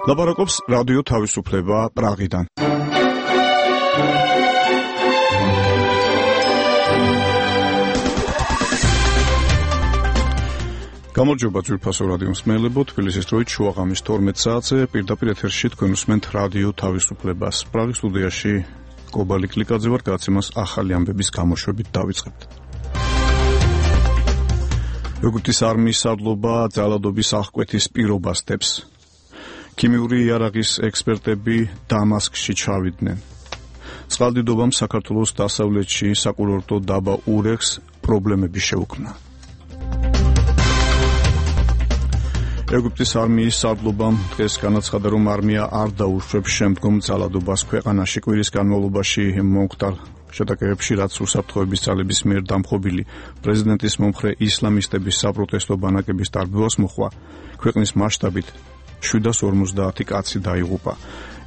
ლაპარაკობს რადიო თავისუფლება პრაღიდან. გამარჯობა ძვირფასო რადიო მსმენელებო, თბილისის დროით შუაღამის 12 საათზე პირდაპირ ეთერში თქვენ უსმენთ რადიო თავისუფლებას. პრაღის სტუდიაში კობალი კლიკაძე ვარ, გადაცემას ახალი ამბების გამოშვებით დავიწყებთ. ეგვიპტის არმიის სარდლობა ძალადობის აღკვეთის პირობას დებს. ქიმიური იარაღის ექსპერტები დამასკში ჩავიდნენ. წყალდიდობამ საქართველოს დასავლეთში საკურორტო დაბა ურეხს პრობლემები შეუქმნა. ეგვიპტის არმიის სარდლობამ დღეს განაცხადა, რომ არმია არ დაუშვებს შემდგომ ძალადობას ქვეყანაში. კვირის განმავლობაში მომხდარ შეტაკებებში, რაც უსაფრთხოების ძალების მიერ დამხობილი პრეზიდენტის მომხრე ისლამისტების საპროტესტო ბანაკების დარბევას მოხვა, ქვეყნის მასშტაბით 750 კაცი დაიღუპა.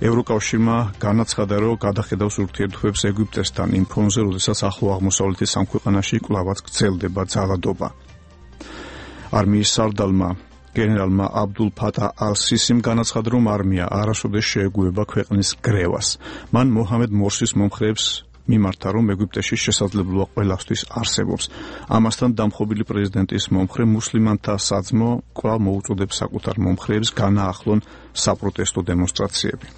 ევროკავშირმა განაცხადა, რომ გადახედავს ურთიერთობებს ეგვიპტესთან იმ ფონზე, როდესაც ახლო აღმოსავლეთის ამ ქვეყანაში კვლავაც გრძელდება ძალადობა. არმიის სარდალმა გენერალმა აბდულ ფატა ალ-სისიმ განაცხადა, რომ არმია არასოდეს შეეგუება ქვეყნის გრევას. მან მოჰამედ მორსის მომხრეებს მიმართა, რომ ეგვიპტეში შესაძლებლობა ყველასთვის არსებობს. ამასთან დამხობილი პრეზიდენტის მომხრე მუსლიმანთა საძმო კვლავ მოუწოდებს საკუთარ მომხრეებს განაახლონ საპროტესტო დემონსტრაციები.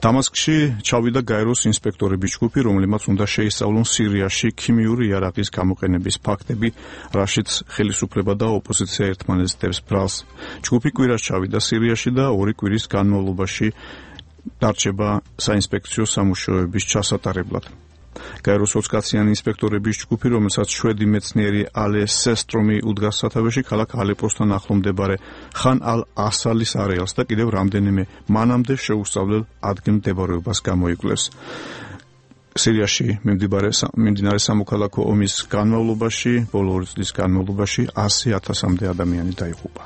დამასკში ჩავიდა გაეროს ინსპექტორების ჯგუფი, რომლებმაც უნდა შეისწავლონ სირიაში ქიმიური იარაღის გამოყენების ფაქტები, რაშიც ხელისუფლება და ოპოზიცია ერთმანეთს დებს ბრალს. ჯგუფი კვირას ჩავიდა სირიაში და 2 კვირის განმავლობაში დარჩება საინსპექციო სამუშაოების ჩასატარებლად. გაეროს 20 კაციანი ინსპექტორების ჯგუფი, რომელსაც შვედი მეცნიერი ალე სესტრომი უდგას სათავეში, ქალაქ ალეპოსთან ახლო მდებარე ხან ალ-ასალის არეალს და კიდევ რამდენიმე მანამდე შეუსწავლელ ადგილმდებარეობას გამოიკვლევს. სირიაში მიმდინარე სამოქალაქო ომის განმავლობაში, ბოლო 2 წლის განმავლობაში 100,000-მდე ადამიანი დაიღუპა.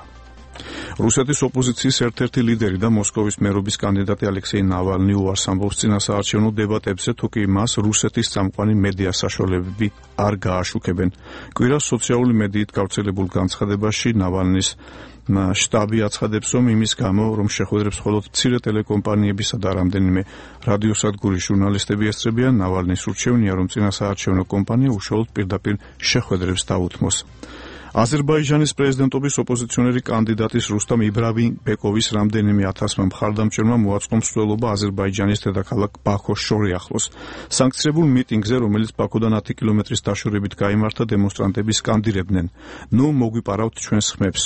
რუსეთის ოპოზიციის ერთ-ერთი ლიდერი და მოსკოვის მერობის კანდიდატი ალექსეი ნავალნი უარს ამბობს წინასაარჩევნო დებატებზე, თუ კი მას რუსეთის წამყვანი მედია საშუალებები არ გააშუქებენ. კვირას სოციალური მედიით გავრცელებულ განცხადებაში ნავალნის შტაბი აცხადებს, რომ იმის გამო, რომ შეხვედრებს მხოლოდ მცირე ტელეკომპანიებისა და რამდენიმე რადიოსადგურის ჟურნალისტები ესწრებიან, ნავალნის ურჩევნია, რომ წინასაარჩევნო კომპანია უშუალოდ პირდაპირ შეხვედრებს დაუთმოს. აზერბაიჯანის პრეზიდენტობის ოპოზიციონერი კანდიდატის რუსტამ იბრაგიმბეკოვის რამდენიმე 1000-მა მხარდამჭერმა მოაწყო მსვლელობა აზერბაიჯანის დედაქალაქ ბაქოს შორიახლოს. სანქცირებულ მიტინგზე, რომელიც ბაქოდან 10 კილომეტრის დაშორებით გაიმართა, დემონსტრანტები სკანდირებდნენ: "ნუ მოგვიპარავთ ჩვენს ხმებს,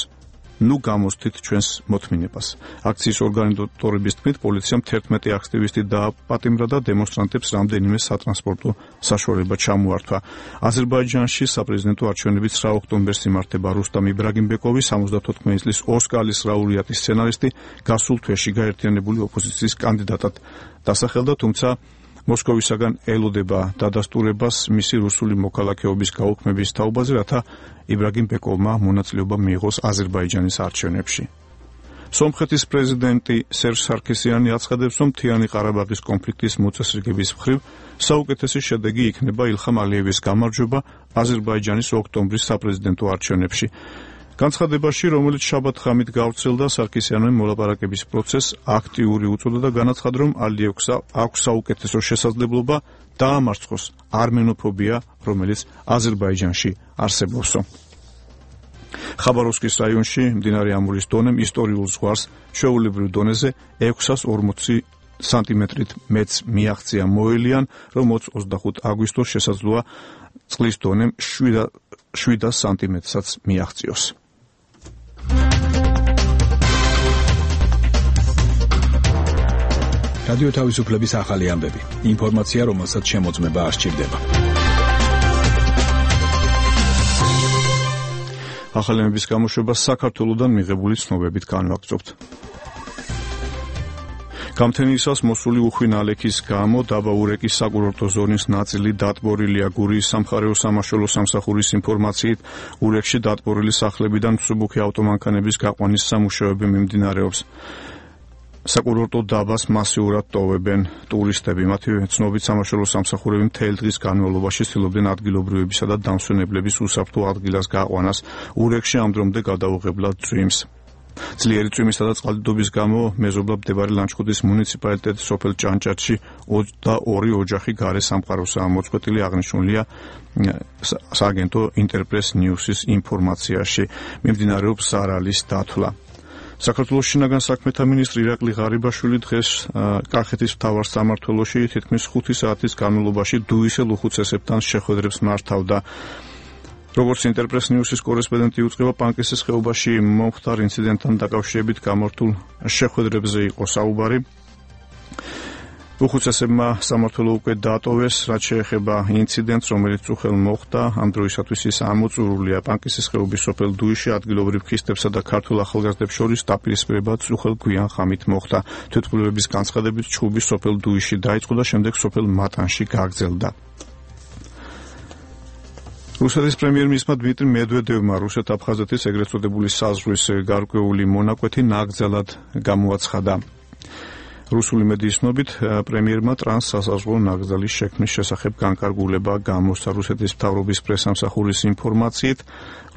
ნუ გამოსთით ჩვენს მოთმინებას." აქციის ორგანიზატორების თქმით, პოლიციამ 11 აქტივისტი დააპატიმრა და დემონსტრანტებს რამდენიმე სატრანსპორტო საშუალება ჩამოართვა. აზერბაიჯანში საპრეზიდენტო არჩევნები 9 ოქტომბერს იმართება. რუსტამ იბრაგიმბეკოვი, 74 წლის ოსკარის ლაურეატი სცენარისტი, გასულ თვეში გაერთიანებული ოპოზიციის კანდიდატად დასახელდა, თუმცა მოსკოვისაგან ელოდება დადასტურებას მისი რუსული მოქალაქეობის გაუქმების თაობაზე, რათა იბრაგიმბეკოვმა მონაწილეობა მიიღოს აზერბაიჯანის არჩევნებში. სომხეთის პრეზიდენტი სერჟ სარქისიანი აცხადებს, რომ მთიანი ყარაბაღის კონფლიქტის მოწესრიგების მხრივ საუკეთესი შედეგი იქნება ილხამ ალიევის გამარჯვება აზერბაიჯანის ოქტომბრის საპრეზიდენტო არჩევნებში. განცხადებაში, რომელიც შაბათ-ღამით გავრცელდა, სარქისიანმა მოლაპარაკების პროცესს აქტიური უწოდა და განაცხადა, რომ ალიევს აქვს საუკეთესო შესაძლებლობა დაამარცხოს არმენოფობია, რომელიც აზერბაიჯანში არსებობსო. ხაბაროვსკის რაიონში მდინარე ამურის დონემ ისტორიულ ზღვარს ჩვეულებრივ დონეზე 640 სანტიმეტრით მეც მიაღწია. მოელიან, რომ 25 აგვისტოს შესაძლოა წყლის დონემ 700 სანტიმეტრსაც მიაღწიოს. რადიო თავისუფლების ახალი ამბები. ინფორმაცია, რომელსაც შემოწმება არ სჭირდება. ახალი ამბების გამოშვება საქართველოსდან მიღებული ცნობებით განვაგრძობთ. გამთენიისას მოსული უხვი ნალექის გამო დაბა ურეკის საკურორტო ზონის ნაწილი დატბორილია. გურიის სამხარეო სამაშველო სამსახურის ინფორმაციით, ურეკში დატბორილი სახლებიდან მსუბუქი ავტომანქანების გაყვანის სამუშაოები მიმდინარეობს. საკურორტო დაბას მასიურად ტოვებენ ტურისტები. მათი ცნობით სამაშველო სამსახურები მთელი დღის განმავლობაში ცდილობდნენ ადგილობრივებისა და დამსვენებლების უსაფრთხო ადგილას გაყვანას. ურეკში ამ დრომდე გადაუღებლად ძვიმს. ძლიერი წვიმისა და წყალდიდობის გამო მეზობლად მდებარე ლანჩხუთის მუნიციპალიტეტის სოფელ ჭანჭათში 22 ოჯახი გარე სამყაროსაა მოწყვეტილი, აღნიშნულია სააგენტო ინტერპრეს ნიუსის ინფორმაციაში. მიმდინარეობს ზარალის დათვლა. საქართველოს შინაგან საქმეთა მინისტრი ირაკლი ღარიბაშვილი დღეს კახეთის მთავარ სამმართველოში თითქმის 5 საათის განმავლობაში დუისელ უხუცესებთან შეხვედრებს მართავდა. როგორც ინტერპრეს ნიუსის კორესპონდენტი უწყება, პანკისის ხეობაში მომხდარ ინციდენტთან დაკავშირებით გამართულ შეხვედრებზე იყო საუბარი. უხუცესებმა სამმართველო უკვე დაატოვეს, რაც შეეხება ინციდენტს, რომელიც უხელ მოხდა. ამ დროისათვის ის ამოწურულია. პანკისის ხეობის სოფელ დუისში ადგილობრივ ქისტებსა და ქართულ ახალგაზრდებს შორის დაპირისპირებაც უხელ გვიან ხამით მოხდა. თვითმკვლელობის განცხადებით ჩხუბი სოფელ დუისში დაიწყო და შემდეგ სოფელ მატანში გაგრძელდა. რუსეთის პრემიერ-მინისტრმა დმიტრი მედვედევმა რუსეთ-აფხაზეთის ეგრეთ წოდებული საზღვრის გარკვეული მონაკვეთი ნაკრძალად გამოაცხადა. რუსული მედიის ცნობით, პრემიერმა ტრანსსასაზღვრო ნაკრძალის შექმნის შესახებ განკარგულება გამოსცა. რუსეთის მთავრობის პრესამსახურის ინფორმაციით,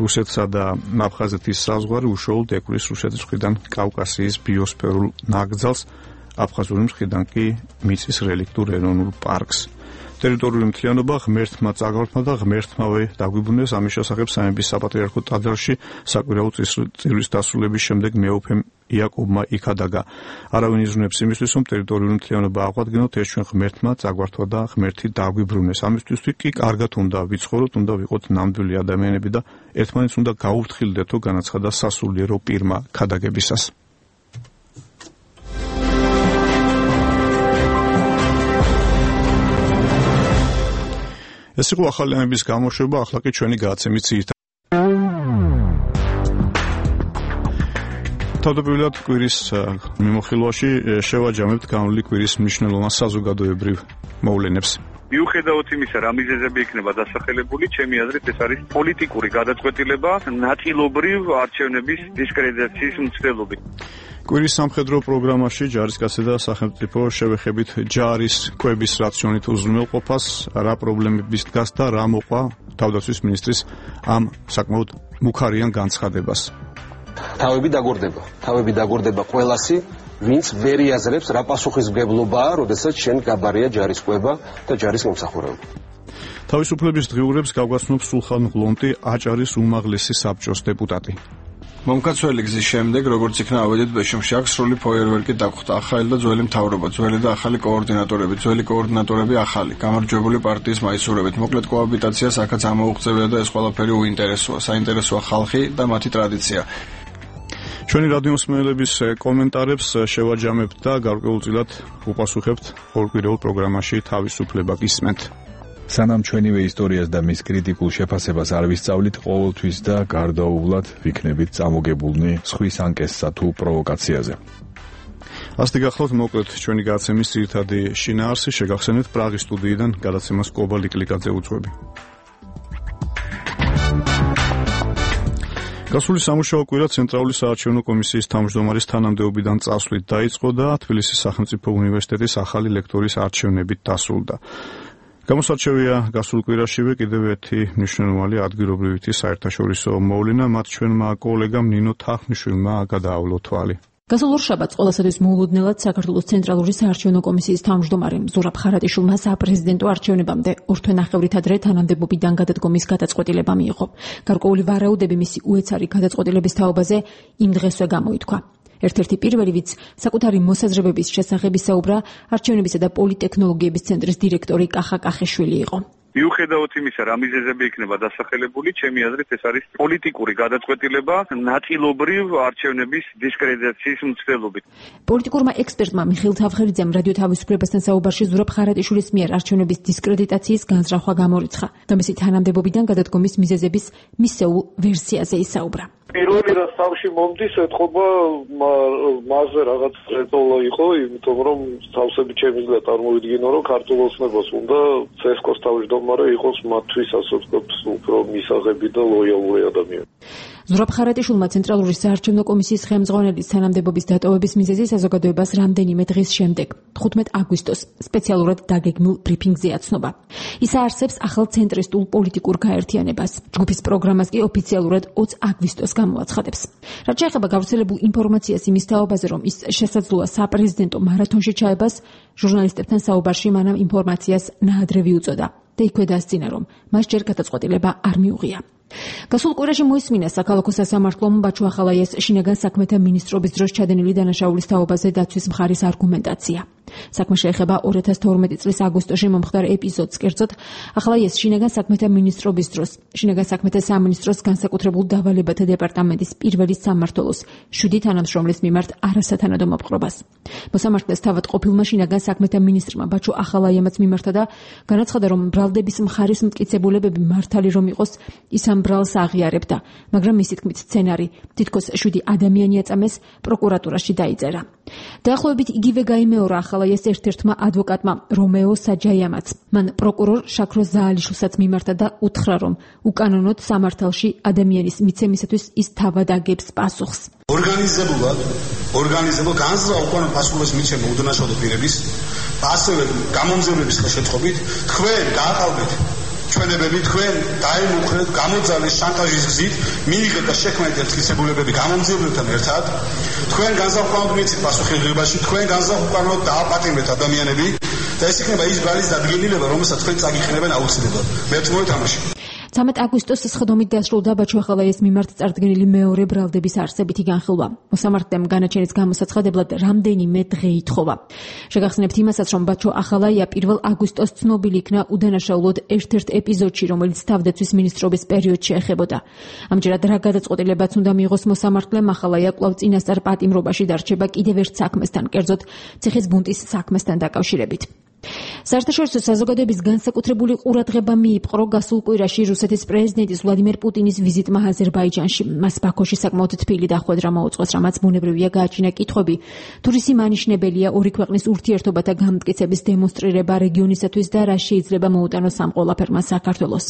რუსეთსა და აფხაზეთის საზღვარი უშუალოდ ეკვრის რუსეთის მხრიდან კავკასიის ბიოსფერულ ნაკრძალს, აფხაზური მხრიდან კი მიწის რელიქტურ ეროვნულ პარკს. ტერიტორიული მთლიანობა ღმერთმა წაგვართმა და ღმერთმავე დაგვიბრუნეს. ამის შესახებ სამების საპატრიარქო ტაძარში საკვირაო წირვის დასრულების შემდეგ მეუფემ იაკობმა იქადაგა. არავინ იზრუნებს იმისთვის, რომ ტერიტორიული მთლიანობა აღვადგინოთ, ეს ჩვენ ღმერთმა წაგვართვა და ღმერთი დაგვიბრუნეს. ამისთვის კი კარგად უნდა ვიცხოვროთ, უნდა ვიყოთ ნამდვილი ადამიანები და ერთმანეთს უნდა გაუფრთხილდეთო, განაცხადა სასულიერო პირმა ქადაგებისას. ეს იყო ახალი ამების გამოშვება, ახლა კი ჩვენი გადაცემის ძირითადი. თავდაპირველად კვირის მიმოხილვაში შევაჯამებთ განვლილი კვირის მნიშვნელოვან საზოგადოებრივ მოვლენებს. მიუხედავად იმისა, რა მიზეზები იქნება დასახელებული, ჩემი აზრით ეს არის პოლიტიკური გადაწყვეტილება, ნაწილობრივ არჩევნების დისკრედიტაციის მცდელობით. კვირის სამხედრო პროგრამაში ჯარისკაცი და სახელმწიფო შევეხებით ჯარის კვების რაციონით უზრუნველყოფას, რა პრობლემების დგას და რა მოყვა თავდაცვის მინისტრის ამ საკმაოდ მუქარიან განცხადებას. თავები დაგორდება ყველასი, ვინც ვერ იაზრებს რა პასუხისმგებლობაა, როდესაც შენ გაბარია ჯარის კვება და ჯარის მომსახურება. თავისუფლების დღიურებს გავგაცნობს სულხან ღლონტი, აჭარის უმაღლესი საბჭოს დეპუტატი. მომკაცველი გზის შემდეგ, როგორც იქნა ავედით ბეშუმში, აქ სრული ფოიერვერკი დაგხვდა. ახალი და ძველი მთავრობა, ძველი და ახალი კოორდინატორები, ძველი კოორდინატორები ახალი, გამარჯვებული პარტიის მაისურებით. მოკლედ კოაბიტაციას აქაც ამოუღწევია და ეს ყველაფერი უინტერესოა. საინტერესოა ხალხი და მათი ტრადიცია. ჩვენი რადიომსმენელების კომენტარებს შევაჯამებთ და გარკვეულწილად უპასუხებთ ორკვირეულ პროგრამაში თავისუფლება გისმენთ. სანამ ჩვენივე ისტორიას და მის კრიტიკულ შეფასებას არ ვისწავლით, ყოველთვის და გარდაუვლად ვიქნებით წამოგებულნი სხვის ანკესსა თუ პროვოკაციაზე. ასეთი გახლავთ მოკლედ ჩვენი გადაცემის ძირითადი შინაარსი. შეგახსენებთ პრაღის სტუდიიდან გადაცემას კობა ლიკლიკაძე უძღვები. გასული სამუშაო კვირა ცენტრალური საარჩევნო კომისიის თავმჯდომარის თანამდებობიდან წასვლით დაიწყო და თბილისის სახელმწიფო უნივერსიტეტის ახალი ლექტორის არჩევნებით დასრულდა. გამოსარჩევია გასულ კვირაშივე კიდევ ერთი მნიშვნელოვანი ადგილობრივი საერთაშორისო მოვლენა, მათ ჩვენმა კოლეგამ ნინო თახმიშვილმა გადაავლო თვალი. გასულ ორშაბათს ყველასათვის მოულოდნელად საქართველოს ცენტრალური საარჩევნო კომისიის თავმჯდომარემ ზურაბ ხარატიშვილმა საპრეზიდენტო არჩევნებამდე ორთვენახევრით ადრე თანამდებობიდან გადადგომის გადაწყვეტილება მიიღო. გარკვეული ვარაუდები მისი უეცარი გადაწყვეტილების თაობაზე იმ დღესვე გამოითქვა. ერთ-ერთი პირველი, ვინც საკუთარი მოსაზრებების შესახებ ისაუბრა, არჩევნებისა და პოლიტექნოლოგიების ცენტრის დირექტორი კახა კახიშვილი იყო. მიუხედავად იმისა, რა მიზეზები იქნება დასახელებული, ჩემი აზრით ეს არის პოლიტიკური გადაწყვეტილება, ნაწილობრივ არჩევნების დისკრედიტაციის მცდელობით. პოლიტიკურმა ექსპერტმა მიხეილ თავხერიძემ რადიო თავისუფლებასთან საუბარში ზურაბ ხარატიშვილის მიერ არჩევნების დისკრედიტაციის განზრახვა გამორიცხა და მისი თანამდებობიდან გადადგომის მიზეზების მისეულ ვერსიაზე ისაუბრა. პირველი რაც თავში მომდის, ეთყობა მასზე რაღაც წეწოლა იყო, იმიტომ რომ თავსები ჩემი გზა წარმოვიდგინო, რომ ქართულ ოცნებას უნდა ცესკოს თავმჯდომარე მაგრამ იყოს მათთვის ასე ვთქვათ უფრო მისაღები და ლოიალური ადამიანი. ზურაბ ხარატიშვილმა ცენტრალური საარჩევნო კომისიის ხელმძღვანელის თანამდებობის დატოვების მიზეზი საზოგადოებას რამდენიმე დღის შემდეგ 15 აგვისტოს სპეციალურად დაგეგმილ ბრიფინგზე აცნობა. ის აარსებს ახალ ცენტრისტულ პოლიტიკურ გაერთიანებას. ჯგუფის პროგრამას კი ოფიციალურად 20 აგვისტოს გამოაცხადებს. რაც შეეხება გავრცელებულ ინფორმაციას იმის თაობაზე, რომ ის შესაძლოა საპრეზიდენტო მარათონში ჩაებას, ჟურნალისტებთან საუბარში მანამ ინფორმაციას ნაადრევი უწოდა და იქვე დასძინა, რომ მას ჯერ გადაწყვეტილება არ მიუღია. გასულ კვირაში მოისმინა საქალაქო სასამართლომ ბაჩუ ახალაიას შინაგან საქმეთა მინისტრობის დროს ჩადენილი დანაშაულის თაობაზე დაცვის მხარის არგუმენტაცია. საქმე შეეხება 2012 წლის აგვისტოში მომხდარ ეპიზოდს, კერძოდ ახალაიას შინაგან საქმეთა მინისტრობის დროს შინაგან საქმეთა სამინისტროს განსაკუთრებულ დავალებათა დეპარტამენტის პირველი სამმართველოს 7 თანამშრომლის მიმართ არასათანადო მოპყრობას. მოსამართლეს თავად ყოფილმა შინაგან საქმეთა მინისტრმა ბაჩუ ახალაიამაც მიმართა და განაცხადა, რომ ბრალდების მხარის მტკიცებულებები მართალი რომ იყოს, ის ამ ბრალს აღიარებდა, მაგრამ მისი თქმით სცენარი თითქოს 7 ადამიანი აწამეს პროკურატურაში დაიწერა. დაახლოებით იგივე გაიმეორა ახალაიას ერთ-ერთმა ადვოკატმა რომეო საჯაიამაც. მან პროკურორ შაქრო ზაალიშვილსაც მიმართა და უთხრა, რომ უკანონოდ სამართალში ადამიანის მიცემისათვის ის თავად აგებს პასუხს. ორგანიზებულ განზრახ უკანონო პასუხის მიცემა უდანაშაულო პირების, ასევე გამომძიებლების ხელშეწყობით თქვენ გააყალბეთ ჩვენებები, თქვენ დაემუქრეთ გამოძალეს შანტაჟის გზით, მიიღეთ და შექმნეთ მტკიცებულებები გამომძიებლებთან ერთად, თქვენ განზრახ მიცით პასუხისმგებლობაში, თქვენ განზრახ დააპატიმრეთ ადამიანები და ეს იქნება ის ბრალის დადგენილება, რომელსაც თქვენ წაგიხნებენ აუცილებლად. მე მოითამაშე. 13 აგვისტოს სხდომით დასრულდა ბაჩუ ახალაიას მიმართ წარდგენილი მეორე ბრალდების არსებითი განხილვა. მოსამართლემ განაჩენის გამოსაცხადებლად რამდენიმე დღე ითხოვა. შეგახსენებთ იმასაც, რომ ბაჩუ ახალაია 1 აგვისტოს ცნობილი იქნა უდანაშაულოდ ერთ-ერთ ეპიზოდში, რომელიც თავდაცვის მინისტრობის პერიოდში ეხებოდა. ამჯერად რა გადაწყვეტილებაც უნდა მიიღოს მოსამართლემ, ახალაია კვლავ წინასწარ პატიმრობაში დარჩება კიდევ ერთ საქმესთან, კერძოდ ციხის ბუნტის საქმესთან დაკავშირებით. საერთაშორისო საზოგადოების განსაკუთრებული ყურადღება მიიპყრო გასულ კვირაში რუსეთის პრეზიდენტის ვლადიმერ პუტინის ვიზიტმა აზერბაიჯანში. მას ბაქოში საკმაოდ თბილი დახვედრა მოუწყვეს, რამაც ბუნებრივია გააჩინა კითხვები, თუ რისი მანიშნებელია ორი ქვეყნის ურთიერთობათა გამტკიცების დემონსტრირება რეგიონისათვის და რა შეიძლება მოუტანოს ამ ყველაფერმა საქართველოს.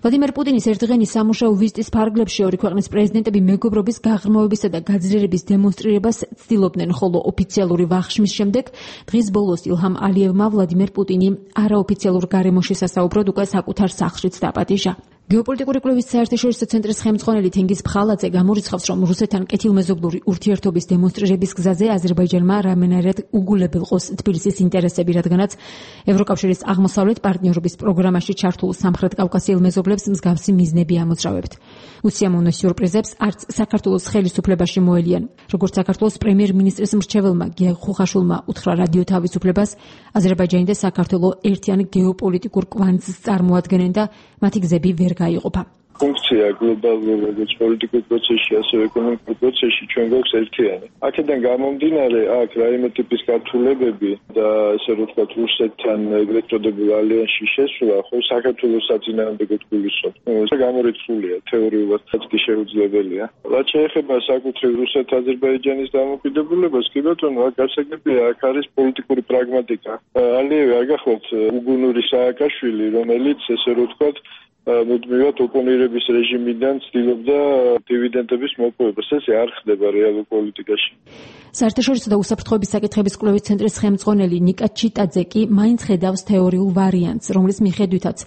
ვლადიმერ პუტინის ერთდღიანი სამუშაო ვიზიტის ფარგლებში ორი ქვეყნის პრეზიდენტები მეგობრობის გაღრმავებისა და გაძლიერების დემონსტრირებას ცდილობდნენ, ხოლო ოფიციალური ვახშმის შემდეგ დღის ბოლოს ილჰამ ალიევმა ვლადიმერ პუტინი არაოფიციალურ გარემოში სასაუბროდ უკვე საკუთარ სახლშიც დაპატიჟა. გეოპოლიტიკური კვლევის საერთაშორისო ცენტრის ხელმძღვანელი თენგიზ ფხალაძე გამორიცხავს, რომ რუსეთთან კეთილმეზობლური ურთიერთობის დემონსტრირების გზაზე აზერბაიჯანმა რამენერად უგულებელყოს თბილისის ინტერესები, რადგანაც ევროკავშირის აღმოსავლეთ პარტნიორობის პროგრამაში ჩართულ სამხრეთ კავკასიელ მეზობლებს მსგავსი მიზნები ამოძრავებთ. უსიამოვნო სიურპრიზებს არც საქართველოს ხელისუფლებაში მოელიან. როგორც საქართველოს პრემიერ-მინისტრის მრჩეველმა გია ხუხაშვილმა უთხრა რადიო თავისუფლებას, აზერბაიჯანი და საქართველო ერთიან გეოპოლიტიკურ კვანძს წარმოადგენენ და მათი გზები ვერ გაიყოფა. ფუნქცია გლობალურ როგორც პოლიტიკურ პროცესში, ასევე ეკონომიკურ პროცესში ჩვენ გვაქვს ერთიანი. აქედან გამომდინარე, აქ რაიმე ტიპის გართულებები და ესე რომ ვთქვათ, რუსეთთან ეგრეთ წოდებულ ალიანსში შესვლა, ხო საქართველოს საწინააღმდეგოდ გულისხმობს. ეს გამორიცხულია, თეორიულად კი შეუძლებელია. რაც შეეხება საკუთრივ რუსეთ-აზერბაიჯანის დამოკიდებულებას, კი ბატონო, აქ გასაგებია, აქ არის პოლიტიკური პრაგმატიკა. ალიევი არ გახლავთ უგუნური სააკაშვილი, რომელიც ესე რომ ვთქვათ მუდმივად ოპონირების რეჟიმიდან ცდილობდა დივიდენდების მოპოვებას. ეს არ ხდება რეალურ პოლიტიკაში. საერთაშორისო და უსაფრთხოების საკითხების კვლევის ცენტრის ხელმძღვანელი ნიკა ჩიტაძე კი მაინც ხედავს თეორიულ ვარიანტს, რომლის მიხედვითაც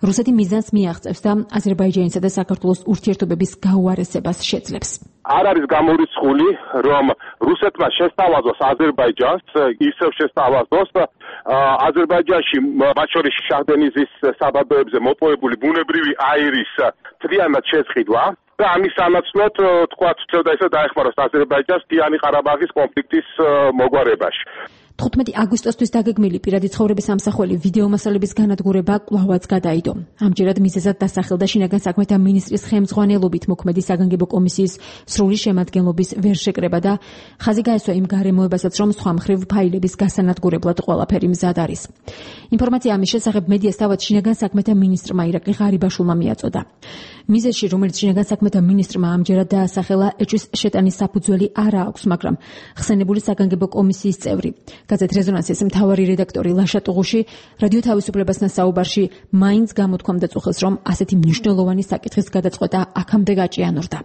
რუსეთი მიზანს მიაღწევს და აზერბაიჯანისა და საქართველოს ურთიერთობების გაუარესებას შეძლებს. არ არის გამორიცხული, რომ რუსეთმა შესთავაზოს აზერბაიჯანს, ისევ შესთავაზოს აზერბაიჯანში მათ შორის შაჰდენიზის საბადოებზე მოპოვებული ბუნებრივი აირის მთლიანად შესყიდვა და ამის სანაცვლოდ თქვა ცოტა ისე დაეხმაროს აზერბაიჯანს მთიანი ყარაბაღის კონფლიქტის მოგვარებაში. 15 აგვისტოსთვის დაგეგმილი პირადი ცხოვრების ამსახველი ვიდეომასალების განადგურება კვლავაც გადაიდო. ამჯერად მიზეზად დასახელდა შინაგან საქმეთა მინისტრის ხელმძღვანელობით მოქმედი საგანგებო კომისიის სრული შემადგენლობის ვერშეკრება და ხაზი გაესვა იმ გარემოებასაც, რომ სხვა მხრივ ფაილების გასანადგურებლად ყველაფერი მზად არის. ინფორმაცია ამის შესახებ მედიას თავად შინაგან საქმეთა მინისტრმა ირაკლი ღარიბაშვილმა მიაწოდა. მიზეზში, რომელიც შინაგან საქმეთა მინისტრმა ამჯერად დაასახელა, ეჭვის შეტანის საფუძველი არა აქვს, მაგრამ ხსენებული საგანგებო კომისიის წევრი გაზეთ რეზონანსის მთავარი რედაქტორი ლაშა ტუღუში რადიო თავისუფლებასთან საუბარში მაინც გამოთქვამდა წუხელს, რომ ასეთი მნიშვნელოვანი საკითხის გადაწყვეტა აქამდე გაჭიანურდა.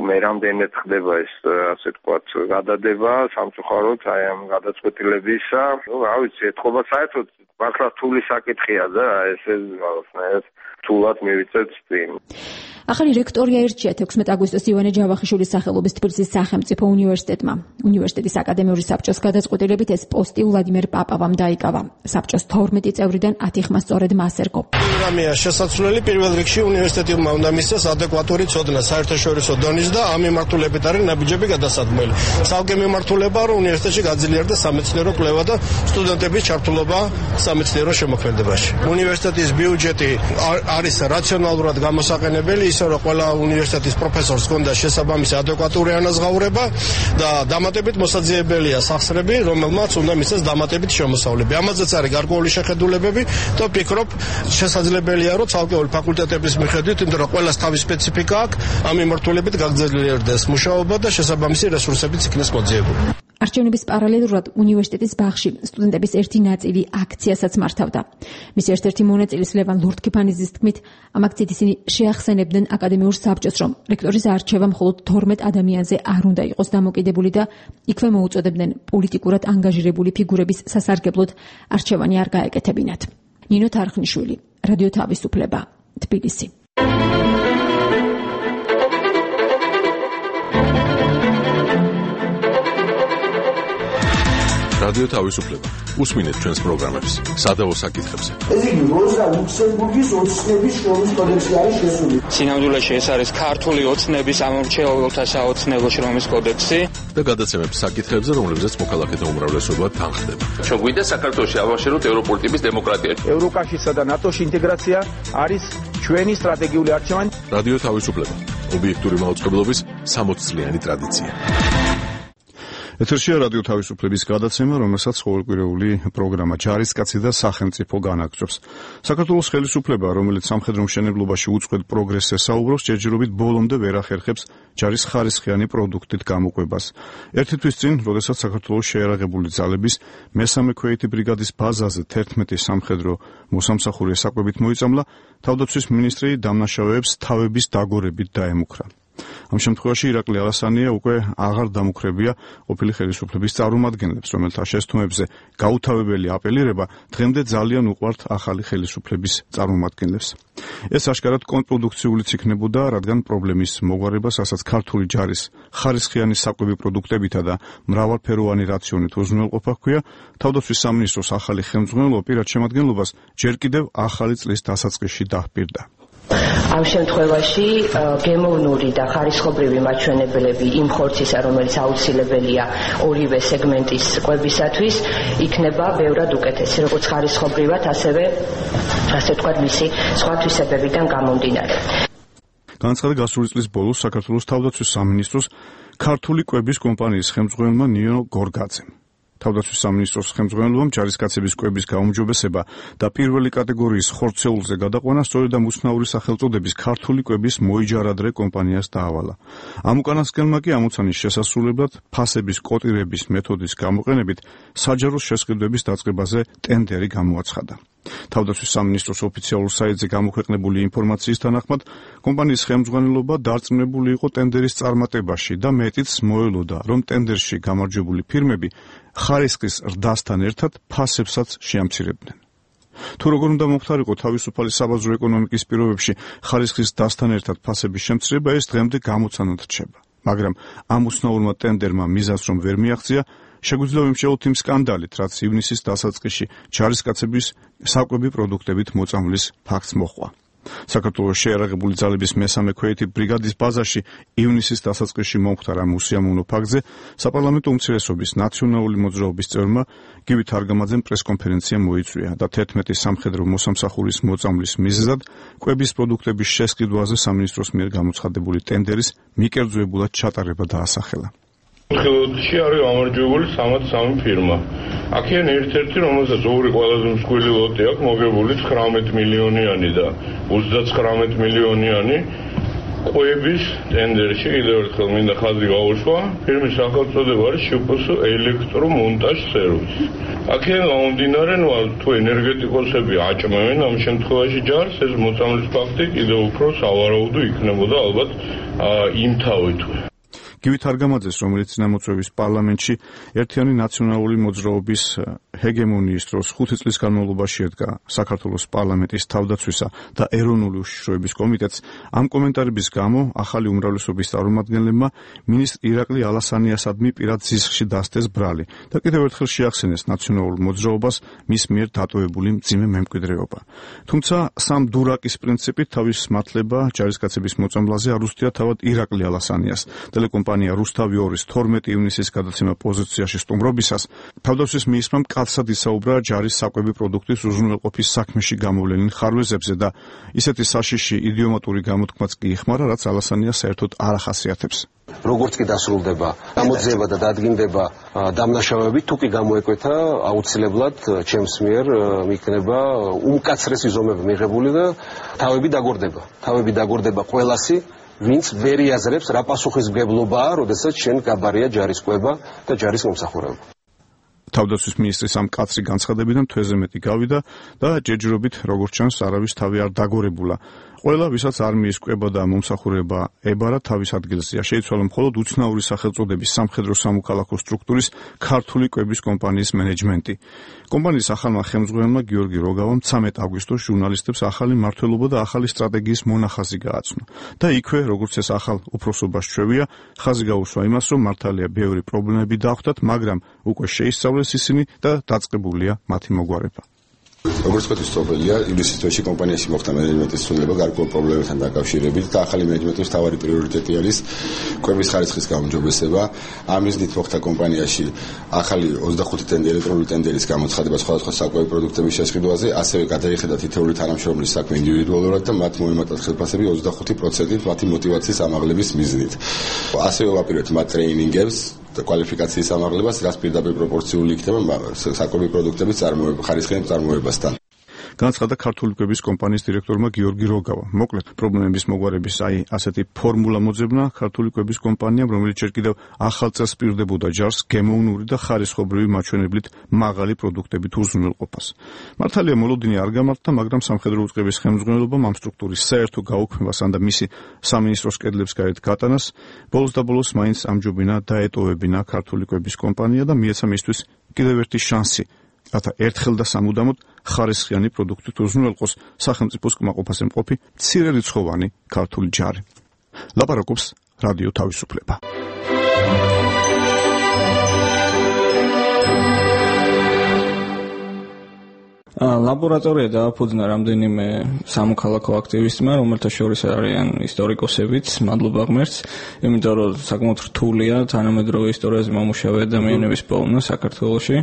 მე რამდენად ხდება ეს ასე ვთქვათ გადადება სამწუხაროდ აი ამ გადაწყვეტილებისა, რა ვიცი, ეთყობა საერთოდ მართლა რთული საკითხია და ესე რთულად მივიწევთ წინ. ახალი რექტორი აირჩია 16 აგვისტოს ივანე ჯავახიშვილის სახელობის თბილისის სახელმწიფო უნივერსიტეტმა. უნივერსიტეტის აკადემიური საბჭოს გადაწყვეტილებით ეს პოსტი ვლადიმერ პაპავამ დაიკავა. საბჭოს 12 წევრიდან 10 ხმა სწორედ მას ერგო. პროგრამია შესაძლებელი პირველ რიგში უნივერსიტეტმა უნდა მისცეს ადეკვატური ცოდნა საერთაშორისო დონის და ამ მიმართულებით არის ნაბიჯები გადასადგმელი. ცალკე მიმართულება რომ უნივერსიტეტში გაძლიერდეს სამეცნიერო კვლევა და სტუდენტების ჩართულობა სამეცნიერო შემოქმედებაში. უნივერსიტეტის ბიუჯეტი არის რაციონალურად გამოსაყენებელი, ისე რომ ყველა უნივერსიტეტის პროფესორს ჰქონდა შესაბამისი ადეკვატური ანაზღაურება და დამატებით მოსაძიებელია სახსრები, რომელმაც უნდა მისცეს დამატებით შემოსავლები. ამაზეც არის გარკვეული შეხედულებები და ვფიქრობ, შესაძლებელია რომ ცალკეული ფაკულტეტების მიხედვით, იმიტომ რომ ყველას თავის სპეციფიკა აქვს, ამ მიმართულებით გაგრძელდეს მუშაობა და შესაბამისი რესურსებიც იქნეს მოძიებული. არჩევნების პარალელურად უნივერსიტეტის ბაღში სტუდენტების ერთი ნაწილი აქციასაც მართავდა. მის ერთ-ერთი მონაწილის ლევან ლურდქიფანიძის თქმით, ამ აქციით ისინი შეახსენებდნენ აკადემიურ საბჭოს, რომ რექტორის არჩევა მხოლოდ 12 ადამიანზე არ უნდა იყოს დამოკიდებული და იქვე მოუწოდებდნენ პოლიტიკურად ანგაჟირებული ფიგურების სასარგებლოდ არჩევანი არ გაეკეთებინათ. ნინო თარხნიშვილი, რადიო თავისუფლება, თბილისი. რადიო თავისუფლება. უსმინეთ ჩვენს პროგრამებს სადავო საკითხებზე. ეს იგი როზა ლუქსემბურგის ოცნების შრომის კოდექსი არის შესული. სინამდვილეში ეს არის ქართული ოცნების ამორჩეულთა საოცნებო შრომის კოდექსი და გადაცემებს საკითხებზე, რომლებზეც მოქალაქეთა უმრავლესობა თანხდება. ჩვენ გვინდა საქართველოში ავაშეროთ ევროპული ტიპის დემოკრატია. ევროკავშირსა და ნატოს ინტეგრაცია არის ჩვენი სტრატეგიული არჩევანი. რადიო თავისუფლება. ობიექტური მაუწყებლობის 60 წლიანი ტრადიცია. ეთერშია რადიო თავისუფლების გადაცემა, რომელსაც ყოველკვირეული პროგრამა ჯარისკაცი და სახელმწიფო განაგრძობს. საქართველოს ხელისუფლება, რომელიც სამხედრო მშენებლობაში უწყვეტ პროგრესს ესაუბროს, ჯერჯერობით ბოლომდე ვერ ახერხებს ჯარის ხარისხიანი პროდუქტით გამოყვებას. ერთი თვის წინ, როდესაც საქართველოს შეიარაღებული ძალების მესამე ქვეითი ბრიგადის ბაზაზე 11 სამხედრო მოსამსახურე საკვებით მოიწამლა, თავდაცვის მინისტრი დამნაშავეებს თავების დაგორებით დაემუქრა. ამ შემთხვევაში ირაკლი ალასანია უკვე აღარ დამუქრებია ყოფილი ხელისუფლების წარმომადგენლებს, რომელთა შესთქმებზე გაუთავებელი აპელირება დღემდე ძალიან უყვართ ახალი ხელისუფლების წარმომადგენლებს. ეს აშკარად კონტრპროდუქციულიც იქნებოდა, რადგან პრობლემის მოგვარებას, ასაც ქართული ჯარის ხარისხიანი საკვები პროდუქტებითა და მრავალფეროვანი რაციონით უზრუნველყოფა ჰქვია, თავდაცვის სამინისტროს ახალი ხელმძღვანელობა პირად შემადგენლობას ჯერ კიდევ ახალი წლის დასაწყისში დაჰპირდა. ამ შემთხვევაში გემოვნური და ხარისხობრივი მაჩვენებლები იმ ხორცისა, რომელიც აუცილებელია ორივე სეგმენტის კვებისათვის, იქნება ბევრად უკეთესი, როგორც ხარისხობრივად, ასევე ასე ვთქვათ, მისი სხვა თვისებებიდან გამომდინარე. განაცხადა გასული წლის ბოლოს საქართველოს თავდაცვის სამინისტროს ქართული კვების კომპანიის ხელმძღვანელმა ნინო გორგაძემ. თავდაცვის სამინისტროს ხელმძღვანელობამ ჯარისკაცების კვების გაუმჯობესება და პირველი კატეგორიის ხორცეულზე გადაყვანა სწორედ ამ უცნაური სახელწოდების ქართული კვების მოიჯარადრე კომპანიას დაავალა. ამ უკანასკნელმა კი ამოცანის შესასრულებლად ფასების კოტირების მეთოდის გამოყენებით საჯაროს შესყიდვების დაწყებაზე ტენდერი გამოაცხადა. თავდაცვის სამინისტროს ოფიციალურ საიტზე გამოქვეყნებული ინფორმაციის თანახმად, კომპანიის ხელმძღვანელობა დარწმუნებული იყო ტენდერის წარმატებაში და მეტიც მოელოდა, რომ ტენდერში გამარჯვებული ფირმები ხარისხის ზრდასთან ერთად ფასებსაც შეამცირებდნენ. თუ როგორ უნდა მომხდარიყო თავისუფალი საბაზრო ეკონომიკის პირობებში ხარისხის ზრდასთან ერთად ფასების შემცირება, ეს დღემდე გამოცანად რჩება. მაგრამ ამ უცნაურმა ტენდერმა მიზანს რომ ვერ მიაღწია, შეგვიძლია ვიმსჯელოთ იმ სკანდალით, რაც ივნისის დასაწყისში ჯარისკაცების საკვები პროდუქტებით მოწამვლის ფაქტს მოჰყვა. საქართველოს შეიარაღებული ძალების მესამე ქვეითი ბრიგადის ბაზაში ივნისის დასაწყისში მომხდარ ამ უსიამოვნო ფაქტზე საპარლამენტო უმცირესობის ნაციონალური მოძრაობის წევრმა გივი თარგამაძემ პრესკონფერენცია მოიწვია და 11 სამხედრო მოსამსახურის მოწამვლის მიზეზად კვების პროდუქტების შესყიდვაზე სამინისტროს მიერ გამოცხადებული ტენდერის მიკერძოებულად ჩატარება დაასახელა. ხილოდში არის გამარჯვებული 63 ფირმა. აქედან ერთ-ერთი, რომელსაც ორი ყველაზე მსხვილი ლოტი აქვს, მოგებული 19 მილიონიანი და 39 მილიონიანი ყვების ტენდერში კიდევ ერთხელ მინდა ხაზი გაუშვა. ფირმის სახელწოდება არის შპს ელექტრომონტაჟ სერვისი. აქედან გამომდინარე, თუ ენერგეტიკოსები აჭმევენ ამ შემთხვევაში ჯარს, ეს მოწამვლის ფაქტი კიდევ უფრო სავარაუდო იქნებოდა ალბათ იმთავითვე. გივით არგამაძეს, რომელიც წინამოწვევის პარლამენტში ერთიანი ნაციონალური მოძრაობის ჰეგემონიის დროს 5 წლის განმავლობაში ედგა საქართველოს პარლამენტის თავდაცვისა და ეროვნული უშიშროების კომიტეტს, ამ კომენტარების გამო ახალი უმრავლესობის წარმომადგენლებმა მინისტრ ირაკლი ალასანიასადმი პირად ზიზღში დასდეს ბრალი და კიდევ ერთხელ შეახსენეს ნაციონალურ მოძრაობას მის მიერ დატოვებული მძიმე მემკვიდრეობა. თუმცა სამ დურაკის პრინციპით თავის მართლება ჯარისკაცების მოწამვლაზე არ უსთია თავად ირაკლი ალასანიას. კომპანია რუსთავი 2-ის 12 ივნისის გადაცემა პოზიციაში სტუმრობისას თავდაცვის მინისტრმა მკაცრად ისაუბრა ჯარის საკვები პროდუქტის უზრუნველყოფის საქმეში გამოვლენილ ხარვეზებზე და ისეთი საშიში იდიომატური გამოთქმაც კი იხმარა, რაც ალასანიას საერთოდ არ ახასიათებს. როგორც კი დასრულდება გამოძიება და დადგინდება დამნაშავეები, თუ კი გამოეკვეთა აუცილებლად ჩემს მიერ იქნება უმკაცრესი ზომები მიღებული და თავები დაგორდება ყველასი, ვინც ვერ იაზრებს რა პასუხისმგებლობაა, როდესაც შენ გაბარია ჯარისკვება და ჯარის მომსახურება. თავდაცვის მინისტრის ამ კაცრი განცხადებიდან თვეზე მეტი გავიდა და ჯერჯერობით, როგორც ჩანს, არავის თავი არ დაგორებულა. ყველა, ვისაც არმიის კვება და მომსახურება ებარა, თავის ადგილზეა. შეიცვალა მხოლოდ უცნაური სახელწოდების სამხედრო სამოქალაქო სტრუქტურის ქართული კვების კომპანიის მენეჯმენტი. კომპანიის ახალმა ხელმძღვანელმა გიორგი როგავამ 13 აგვისტოს ჟურნალისტებს ახალი მმართველობა და ახალი სტრატეგიის მონახაზი გააცნო. და იქვე, როგორც ეს ახალ უფროსობას ჩვევია, ხაზი გაუსვა იმას, რომ მართალია ბევრი პრობლემები დახვდათ, მაგრამ უკვე შეისწავლეს ისინი და დაწყებულია მათი მოგვარება. როგორც თქვით, სწორია, ივლისის თვეში კომპანიაში მოხდა მენეჯმენტის ცვლილება გარკვეულ პრობლემებთან დაკავშირებით და ახალი მენეჯმენტის მთავარი პრიორიტეტი არის კვების ხარისხის გაუმჯობესება. ამ მიზნით მოხდა კომპანიაში ახალი 25 ელექტრონული ტენდერის გამოცხადება სხვადასხვა საკვები პროდუქტების შესყიდვაზე, ასევე გადაიხედა თითოეული თანამშრომლის საქმე ინდივიდუალურად და მათ მოემატათ ხელფასები 25%-ით მათი მოტივაციის ამაღლების მიზნით. ასევე ვაპირებთ მათ ტრეინინგებს და კვალიფიკაციის ამაღლებას, რაც პირდაპირ პროპორციული იქნება საკვები პროდუქტების ხარისხიან წარმოებასთან. განაცხადა ქართული კვების კომპანიის დირექტორმა გიორგი როგავა. მოკლედ, პრობლემების მოგვარების ასეთი ფორმულა მოძებნა ქართული კვების კომპანიამ, რომელიც ჯერ კიდევ ახალ წელს პირდებოდა ჯარს გემოვნური და ხარისხობრივი მაჩვენებლით მაღალი პროდუქტებით უზრუნველყოფას. მართალია მოლოდინი არ გამართდა, მაგრამ სამხედრო უწყების ხელმძღვანელობამ ამ სტრუქტურის საერთო გაუქმებასთან და მისი სამინისტროს კედლებს გარეთ გატანას, ბოლოს და ბოლოს მაინც ამჯობინა დაეტოვებინა ქართული კვების კომპანია და მიეცა მისთვის კიდევ ერთი შანსი, რათა ერთხელ და სამუდამოდ ხარისხიანი პროდუქტით უზრუნველყოს სახელმწიფოს კმაყოფაზე მყოფი მცირერიცხოვანი ქართული ჯარი. ლაპარაკობს რადიო თავისუფლება. ლაბორატორია დააფუძნა რამდენიმე სამოქალაქო აქტივისტმა, რომელთა შორის არიან ისტორიკოსებიც, მადლობა ღმერთს, იმიტომ რომ საკმაოდ რთულია თანამედროვე ისტორიაზე მომუშავე ადამიანების პოვნა საქართველოში.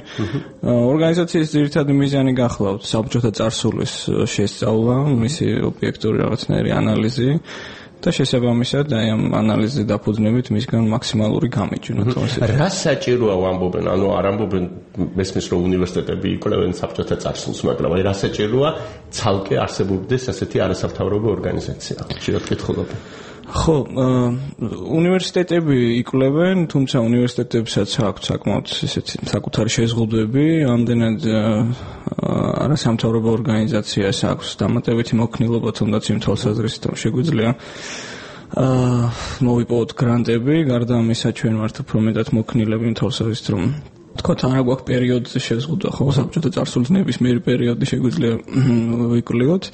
ორგანიზაციის ძირითადი მიზანი გახლავთ საბჭოთა წარსულის შესწავლა, მისი ობიექტური რაღაცნაირი ანალიზი და შესაბამისად აი ამ ანალიზზე დაფუძნებით მისგან მაქსიმალური გამიჯვნა. რა საჭიროა ვამბობენ, ანუ არ ამბობენ მესმის რომ უნივერსიტეტები იკვლევენ საბჭოთა წარსულს, მაგრამ აი რა საჭიროა ცალკე არსებობდეს ასეთი არასამთავრობო ორგანიზაცია. შეიძლება კითხულობენ. ხო, უნივერსიტეტები იკვლევენ, თუმცა უნივერსიტეტებსაც აქვს საკმაოდ ესეთი საკუთარი შეზღუდვები, ამდენად არასამთავრობო ორგანიზაციას აქვს დამატებითი მოქნილობა, თუნდაც იმ თვალსაზრისით რომ შეგვიძლია მოვიპოვოთ გრანტები, გარდა ამისა ჩვენ ვართ უფრო მეტად მოქნილები იმ თვალსაზრისით რომ თქვათ არა გვაქვს პერიოდზე შეზღუდვა, ხო, საბჭოთა წარსულის ნებისმიერი პერიოდი შეგვიძლია ვიკვლევოთ.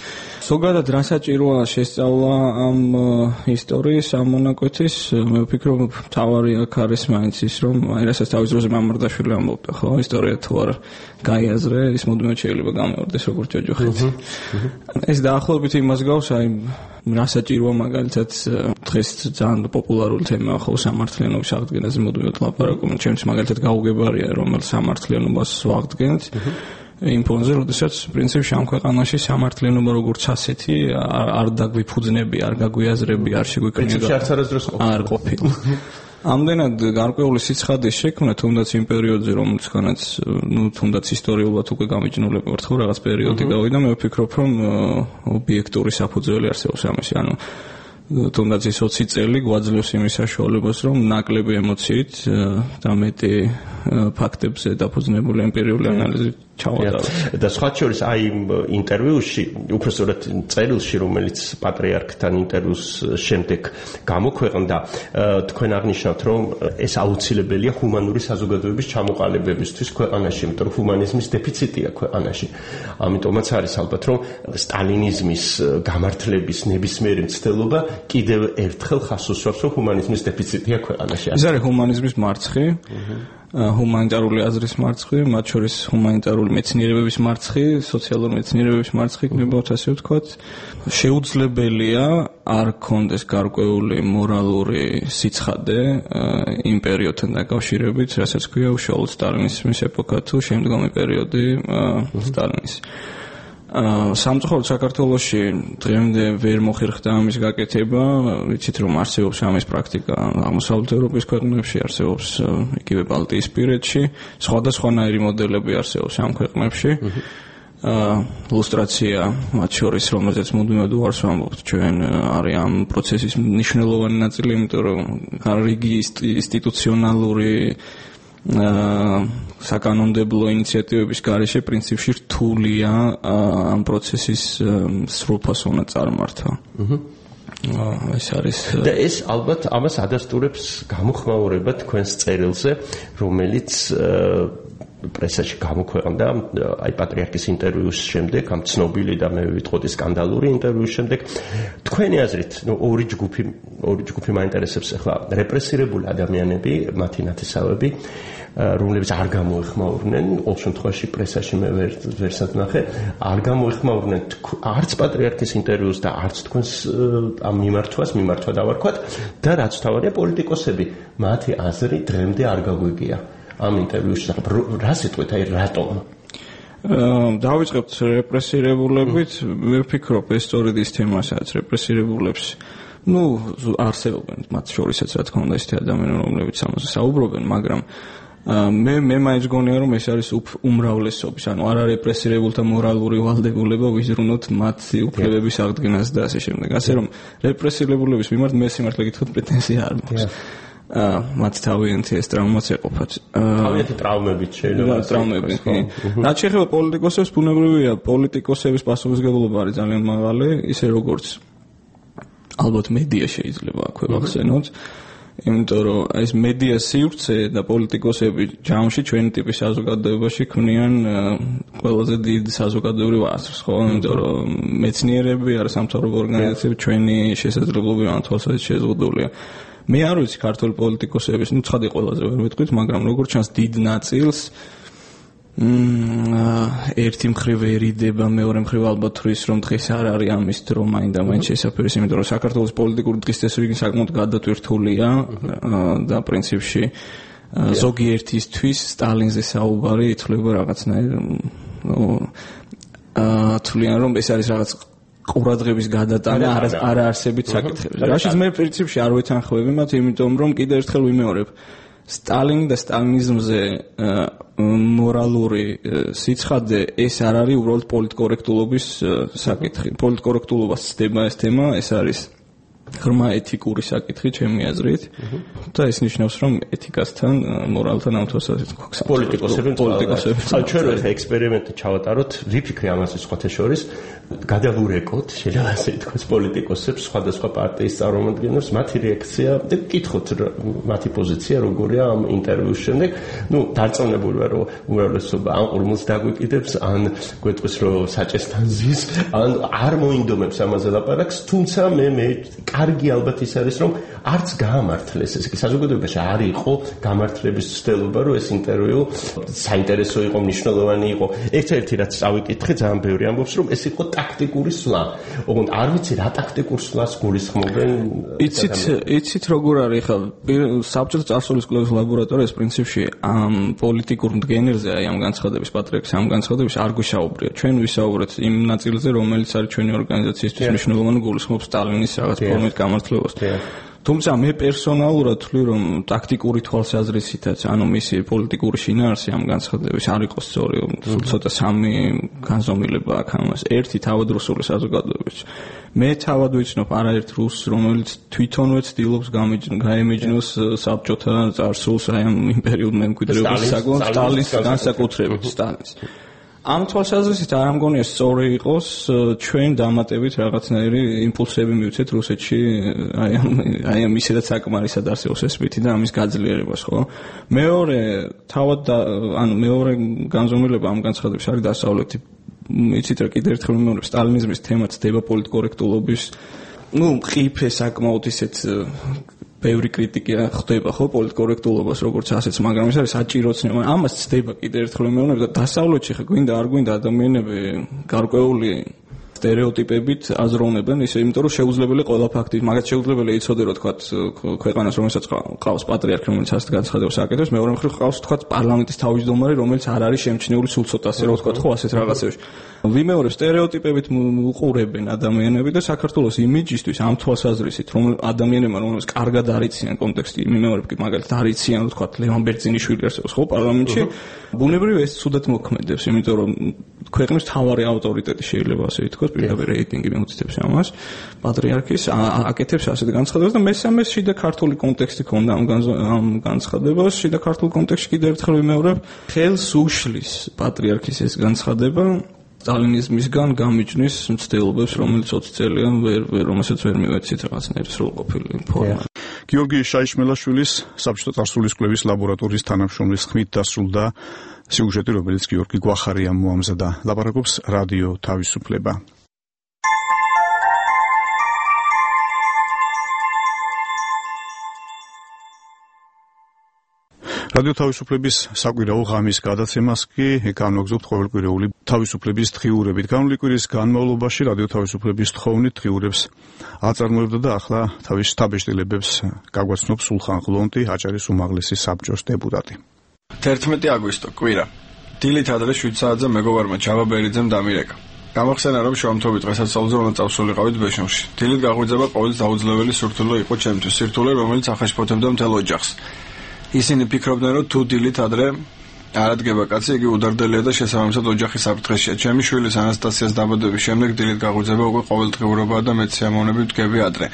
ზოგადად რა საჭიროა შესწავლა ამ ისტორიის, ამ მონაკვეთის, მე ვფიქრობ, მთავარი აქ არის მაინც ის, რომ აი რასაც თავის დროზე მამარდაშვილი ამბობდა, ხო, ისტორია თუ არ გაიაზრე, ის მუდმივად შეიძლება გამეორდეს როგორც ჯოჯოხეთი. ეს დაახლოებით იმას გავს, აი რა საჭიროა მაგალითად დღეს ძალიან პოპულარული თემაა, ხო, სამართლიანობის აღდგენაზე მუდმივად ლაპარაკობენ, ჩემთვის მაგალითად გაუგებარია რომელ სამართლიანობას ვაღდგენთ იმ ფონზე, როდესაც პრინციპში ამ ქვეყანაში სამართლიანობა როგორც ასეთი არ დაგვიფუძნები, არ გაგვიაზრები, არ შეგვიქმნება. არ ყოფილა. ამდენად გარკვეული სიცხადის შექმნა, თუნდაც იმ პერიოდზე, რომელთანაც, თუნდაც ისტორიულად უკვე გამიჯნულები ვართ, ხო, რაღაც პერიოდი გავიდა, მე ვფიქრობ, რომ ობიექტური საფუძველი არსებობს ამისი, ანუ თუნდაც ის 20 წელი გვაძლევს იმის საშუალებას, რომ ნაკლები ემოციით და მეტი ფაქტებზე დაფუძნებული ემპირიული ანალიზით ჩავატარო. და სხვა შორის აი ინტერვიუში, უпростоრად წერილში, რომელიც პატრიარქთან ინტერვიუს შემდეგ გამოქვეყნდა, თქვენ აღნიშნავთ, რომ ეს აუცილებელია ჰუმანური საზოგადოების ჩამოყალიბებისთვის ქვეყანაში, იმიტომ რომ ჰუმანიზმის დეფიციტია ქვეყანაში. ამიტომაც არის ალბათ, რომ სტალინიზმის გამართლების ნებისმიერი მცდელობა კიდევ ერთხელ ხაზს უსვამს, რომ ჰუმანიზმის დეფიციტია ქვეყანაში. ეს არის ჰუმანიზმის მარცხი, ჰუმანიტარული აზრის მარცხი, მათ შორის ჰუმანიტარული მეცნიერებების მარცხი, სოციალური მეცნიერებების მარცხი, გნებავთ ასე ვთქვათ. შეუძლებელია არ კონდეს გარკვეული მორალური სიცხადე იმ პერიოდთან დაკავშირებით, რასაც ქვია უშუალოდ სტალინიზმის ეპოქა თუ შემდგომი პერიოდი სტალინის. სამწუხაროდ საქართველოში დღემდე ვერ მოხერხდა ამის გაკეთება, ვიცით რომ არსებობს ამის პრაქტიკა აღმოსავლეთ ევროპის ქვეყნებში, არსებობს იგივე ბალტიისპირეთში, სხვადასხვანაირი მოდელები არსებობს ამ ქვეყნებში. ლუსტრაცია მათ შორის, რომელზეც მუდმივად უარს ვამბობთ, ჩვენ არის ამ პროცესის მნიშვნელოვანი ნაწილი, იმიტომ რომ რიგი ინსტიტუციონალური საკანონმდებლო ინიციატივების გარეშე პრინციპში რთულია ამ პროცესის სრულფასო წარმართა. ეს არის და ეს ალბათ ამას ადასტურებს გამოხმაურება თქვენს წერილზე, რომელიც პრესაში გამოქვეყნდა აი პატრიარქის ინტერვიუს შემდეგ, ამ ცნობილი და მე ვიტყოდი სკანდალური ინტერვიუს შემდეგ. თქვენი აზრით, ორი ჯგუფი მაინტერესებს ახლა რეპრესირებული ადამიანები, მათი ნათესავები, რომლებიც არ გამოეხმაურნენ, ყოველ შემთხვევაში პრესაში მე ვერსად ნახე, არ გამოეხმაურნენ არც პატრიარქის ინტერვიუს და არც თქვენს ამ მიმართვა დავარქვათ და რაც თავარია პოლიტიკოსები, მათი აზრი დღემდე არ გაგვიგია. ამ ინტერვიუში რა სიტყვით, აი რატომ? დავიწყებთ რეპრესირებულებით, მე ვფიქრობ ეს სწორედ ის თემაა, სადაც რეპრესირებულებს არსებობენ მათ შორისაც რა თქმა უნდა ისეთი ადამიანები, რომლებიც ამაზე საუბრობენ, მაგრამ მე მაინც გონია რომ ეს არის უმრავლესობის, ანუ არა რეპრესირებულთა მორალური ვალდებულება ვიზრუნოთ მათი უფლებების აღდგენას და ასე შემდეგ. ასე რომ რეპრესირებულების მიმართ მე სიმართლე გითხრათ პრეტენზია არ მაქვს. მათ თავიანთი ეს ტრაუმაც ეყოფათ. თავიანთი ტრაუმებით შეიძლება. ტრაუმებით. რაც შეეხება პოლიტიკოსებს, ბუნებრივია, პოლიტიკოსების პასუხისმგებლობა არის ძალიან მაღალი, ისე როგორც ალბათ მედია შეიძლება აქვე ვახსენოთ. იმიტომ რომ ეს მედია სივრცე და პოლიტიკოსები ჯამში ჩვენი ტიპის საზოგადოებაში ქმნიან ყველაზე დიდ საზოგადოებრივ აზრს, ხო? იმიტომ რომ მეცნიერები, არასამთავრობო ორგანიზაციები ჩვენი შესაძლებლობები ამ თვალსაზრისით შეზღუდულია. მე არ ვიცი ქართული პოლიტიკოსების, ცხადი ყველაზე ვერ ვიტყვით, მაგრამ როგორც ჩანს დიდ ნაწილს ერთი მხრივ ერიდება, მეორე მხრივ ალბათ თვლის რომ დღეს არ არის ამის დრო მაინდა-მაინც შესაძლებელია, იმიტომ რომ საქართველოს პოლიტიკური დღის წესრიგი საკმაოდ გადატვირთულია და პრინციპში ზოგიერთისთვის სტალინზე საუბარი ითვლება რაღაცნაირ თვლიან რომ ეს არის რაღაც ყურადღების გადატანა არაარსებით საკითხები. რაშიც მე პრინციპში არ ვეთანხმები მათ, იმიტომ რომ კიდევ ერთხელ ვიმეორებ, სტალინი და სტალინიზმზე მორალური სიცხადე ეს არ არის უბრალოდ პოლიტკორექტულობის საკითხი. პოლიტკორექტულობას ცდება ეს თემა, ეს არის ღრმა ეთიკური საკითხი ჩემი აზრით და ეს ნიშნავს რომ ეთიკასთან, მორალთან ამ თვალსაზრისით გვაქვს პოლიტიკოსები. ჩვენ ახლა ექსპერიმენტი ჩავატაროთ, ვიფიქრე ამაზე სხვათა შორის, გადავურეკოთ, შეიძლება ასე ითქვას, პოლიტიკოსებს, სხვადასხვა პარტიის წარმომადგენლებს, მათი რეაქცია და ვკითხოთ მათი პოზიცია როგორია ამ ინტერვიუს შემდეგ. დარწმუნებული ვარ, რომ უმრავლესობა ან ყურმულს დაგვიკიდებს, ან გვეტყვის, რომ საჭესთან ზის, ან არ მოინდომებს ამაზე ლაპარაკს, თუმცა მე კარგი ალბათ ის არის, რომ არც გაამართლეს, ესე იგი საზოგადოებაში არ იყო გამართლების ცდელობა, რომ ეს ინტერვიუ საინტერესო იყო, მნიშვნელოვანი იყო. ერთ-ერთი რაც წავიკითხე, ძალიან ბევრი ამბობს, რომ ეს იყო ტაქტიკური სვლა. ოღონდ არ ვიცი რა ტაქტიკურ სვლას გულისხმობენ. იცით როგორ არის ხა საბჭოთა წარსულის კვლევის ლაბორატორიას პრინციპში ამ პოლიტიკურ მდგენელზე, აი ამ განცხადების პატრიარქის ამ განცხადების არ გვისაუბრია. ჩვენ ვისაუბრეთ იმ ნაწილზე, რომელიც არის ჩვენი ორგანიზაციისთვის მნიშვნელოვანი, გულისხმობს სტალინის რაღაც ფორმით გამართლებას. თუმცა მე პერსონალურად ვთვლი, რომ ტაქტიკური თვალსაზრისითაც, ანუ მისი პოლიტიკური შინაარსი ამ განცხადების არ იყო სწორი, ცოტა სამი განზომილება აქვს ამას. ერთი თავადრუსული საზოგადოების. მე თავად ვიცნობ არაერთ რუსს, რომელიც თვითონვე ცდილობს გაემიჯნოს საბჭოთა წარსულს, აი ამ იმ პერიოდ მემკვიდრეობის საკუთრებით, სტალინის განსაკუთრებით სტალინის. ამ თვალსაზრისით არ ამგონია სწორი იყოს ჩვენ დამატებით რაღაცნაირი იმპულსები მივცეთ რუსეთში აი ამ ისედაც საკმარისად არსებობს ეს სპირტი და ამის გაძლიერებას, ხო? მეორე განზომილება ამ განცხადების არის დასავლეთი. იცით რა, კიდევ ერთხელ ვიმეორებ, სტალინიზმის თემა ცდება პოლიტკორექტულობის, მყიფე საკმაოდ ისეთ ბევრი კრიტიკა ხდება ხო პოლიტკორექტულობას როგორც ასეც, მაგრამ ეს არის საჭიროც ნება. ამას ცდება კიდევ ერთხელ ვიმეორებ და დასავლეთში ხა გვინდა არ გვინდა ადამიანები გარკვეული სტერეოტიპებით აზროვნებენ ისე, იმიტომ რომ შეუძლებელი ყველა ფაქტი, მაგათ შეუძლებელი იცოდე რომ თქვა ქვეყანას რომელსაც ყავს პატრიარქი, რომელიც ასეთ განცხადებას აკეთებს, მეორე მხრივ ყავს თქვა პარლამენტის თავმჯდომარე, რომელიც არ არის შემჩნეული სულ ცოტასე რომ თქვა ხო ასეთ რაღაცებში. ვიმეორებ სტერეოტიპებით უყურებენ ადამიანები და საქართველოს იმიჯისთვის ამ თვალსაზრისით რომ ადამიანებმა რომელსაც კარგად არიციან კონტექსტი, ვიმეორებ კი მაგალითად არიციან თქვა ლევან ბერძინიშვილი არსებობს ხო პარლამენტში, ბუნებრივ ეს ცუდად მოქმედებს, იმიტომ რომ ქვეყნის მთავარი ავტორიტეტი შეიძლება ასე ითქვას, პირდაპირ რეიტინგი მეუწითებს ამას, პატრიარქის აკეთებს ასეთ განცხადებას და მესამე შიდა ქართული კონტექსტი ქონდა ამ განცხადებას, შიდა ქართულ კონტექსტში კიდევ ერთხელ ვიმეორებ, ხელს უშლის პატრიარქის ეს განცხადება სტალინიზმისგან გამიჯნის მცდელობებს, რომელიც 20 წელიან რომელსაც ვერ მივეცით რაღაცნაირი სრულყოფილი ფორმა. გიორგი შაიშმელაშვილის საბჭოთა წარსულის კვლევის ლაბორატორიის თანამშრომლის ხმით დასრულდა სიუჟეტი, რომელიც გიორგი გვახარიამ მოამზადა. ლაპარაკობს რადიო თავისუფლება. რადიო თავისუფლების საკვირაო ღამის გადაცემას კი განვაგრძობთ ყოველკვირეული თავისუფლების დღიურებით. განვლილი კვირის განმავლობაში რადიო თავისუფლების თხოვნით დღიურებს აწარმოებდა და ახლა თავის შთაბეჭდილებებს გაგვაცნობს სულხან ღლონტი, აჭარის უმაღლესი საბჭოს დეპუტატი. 11 აგვისტო კვირა. დილით ადრე 7 საათზე მეგობარმა ჯავა ბერიძემ დამირეკა. გამახსენა რომ შოამთობი დღესასწაულზე უნდა წავსულიყავით ბეშუმში. დილით გაღვიძება ყოველს დაუძლეველი სურთულო იყო ჩემთვის, სირთულე რომელიც ახაშფოთებდა მთელ ოჯახს. ისინი ფიქრობდნენ რომ თუ დილით ადრე არ ადგება კაცი, იგი უდარდელია და შესაბამისად ოჯახის საფრთხეშია. ჩემი შვილის ანასტასიას დაბადების შემდეგ დილით გაღვიძება უკვე ყოველდღიურობაა და მეც სიამოვნებით ვდგები ადრე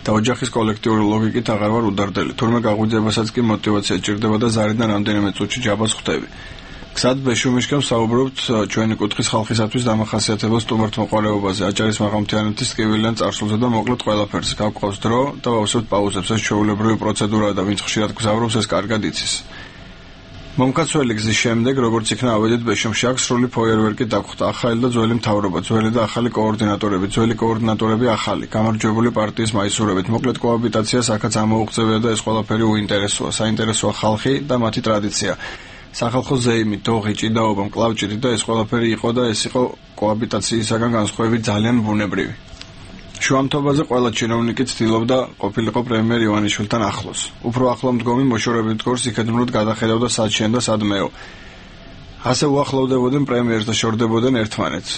და ოჯახის კოლექტიური ლოგიკით აღარ ვარ უდარდელი. თურმე გაღვიძებასაც კი მოტივაცია ჭირდება და ზარიდან რამდენიმე წუთში ჯაბას ხვდები. გზად ბეშუმიშკენ ვსაუბრობთ ჩვენი კუთხის ხალხისათვის დამახასიათებელ სტუმართმოყვარეობაზე, აჭარის მაღალმთიანეთის ტკივილიან წარსულზე და მოკლედ ყველაფერზე. გავყავს დრო და ვავსებთ პაუზებს. ეს ჩვეულებრივი პროცედურაა და ვინც ხშირად გზავრობს, ეს კარგად იცის. მომკაცველი გზის შემდეგ, როგორც იქნა ავედით ბეშუმში, აქ სრული ფოიერვერკი დაგვხდა. ახალი და ძველი მთავრობა, ძველი და ახალი კოორდინატორები, ძველი კოორდინატორები ახალი, გამარჯვებული პარტიის მაისურებით. მოკლედ კოაბიტაციას აქაც ამოუღწევია და ეს ყველაფერი უინტერესოა. საინტერესოა ხალხი და მათი ტრადიცია. სახალხო ზეიმი, დოღი, ჭიდაობა, მკლავჭიდი და ეს ყველაფერი იყო და ეს იყო კოაბიტაციისაგან განსხვავებით ძალიან ბუნებრივი. შუამთობაზე ყველა ჩინოვნიკი ცდილობდა ყოფილიყო პრემიერ ივანიშვილთან ახლოს. უფრო ახლო მდგომი მოშორებით გორს იქედნურად გადახედავდა სად შენ და სად მეო. ასე უახლოვდებოდნენ პრემიერს და შორდებოდნენ ერთმანეთს.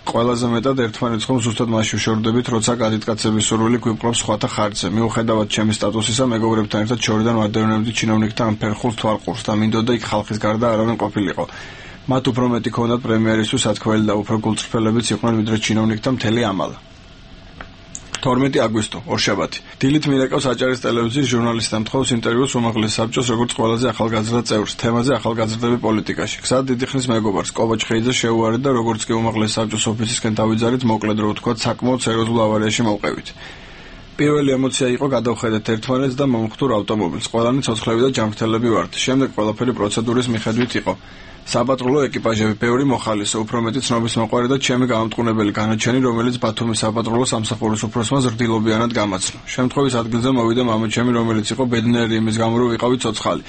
ყველაზე მეტად ერთმანეთს ხომ ზუსტად მასში შორდებით, როცა კადიტკაცების სურვილი გვიპყრობს სხვათა ხარჯზე. მიუხედავად ჩემი სტატუსისა, მეგობრებთან ერთად შორიდან ვადევნებდი ჩინოვნიკთა ამ ფერხულს თვალყურს და მინდოდა იქ ხალხის გარდა არავინ ყოფილიყო. მათ უფრო მეტი ქონდათ პრემიერისთვის ათქველი და უფრო გულწრფელებიც იყვნენ ვიდრე ჩინოვნიკთა მთელი ამალა. 12 აგვისტო, ორშაბათი. დილით მირეკავს აჭარის ტელევიზიის ჟურნალისტთან თხოვს ინტერვიუს უმაღლეს საბჭოს როგორც ყველაზე ახალგაზრდა წევრს, თემაზე ახალგაზრდები პოლიტიკაში. გზად დიდი ხნის მეგობარს კობა ჩხეიძე შეუვარეთ და როგორც კი უმაღლეს საბჭოს ოფისისკენ დავიძარით, მოკლედ რო ვთქვათ, საკმაოდ სერიოზულ ავარიაში მოვყევით. პირველი ემოცია იყო გადავხედეთ ერთმანეთს და მომხდურ ავტომობილს. ყველანი ცოცხლები და ჯანმრთელები ვართ. შემდეგ ყველაფერი პროცედურის მიხედვით იყო. საპატრულო ეკიპაჟები, ბევრი მოხალისე, უფრო მეტი ცნობის მოყვარე და ჩემი გამამტყუნებელი განაჩენი, რომელიც ბათუმის საპატრულო სამსახურის უფროსმა ზრდილობიანად გამაცნო. შემთხვევის ადგილზე მოვიდა მამაჩემი, რომელიც იყო ბედნიერი იმის გამო, რომ ვიყავი ცოცხალი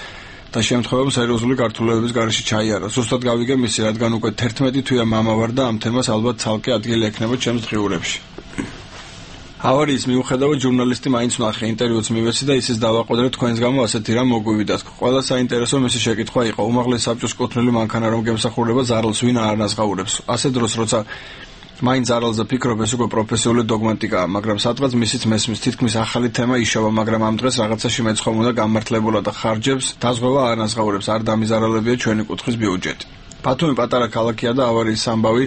და შემთხვევამ სერიოზული გართულებების გარეშე ჩაიარა. ზუსტად გავიგე მისი, რადგან უკვე 11 თვეა მამა ვარ და ამ თემას ალბათ ცალკე ადგილი ექნება ჩემს დღიურებში. ავარიის მიუხედავად ჟურნალისტი მაინც ვნახე, ინტერვიუც მივეცი და ისიც დავაყოდრე თქვენს გამო ასეთი რამ მოგვივიდათ. ყველა საინტერესო მისი შეკითხვა იყო, უმაღლეს საბჭოს კუთვნილი მანქანა რომ გემსახურება ზარალს ვინ არ ანაზღაურებს. ასე დროს როცა მაინც ზარალზე ფიქრობ, ეს უკვე პროფესიული დოგმატიკაა, მაგრამ სადღაც მისიც მესმის თითქმის ახალი თემა იშოვა, მაგრამ ამ დღეს რაღაცაში მეცხოვ უნდა გამართლებულა და ხარჯებს დაზღვევა არ ანაზღაურებს, არ დამიზარალებია ჩვენი კუთხის ბიუჯეტი. ბათუმი პატარა ქალაქია და ავარიის ამბავი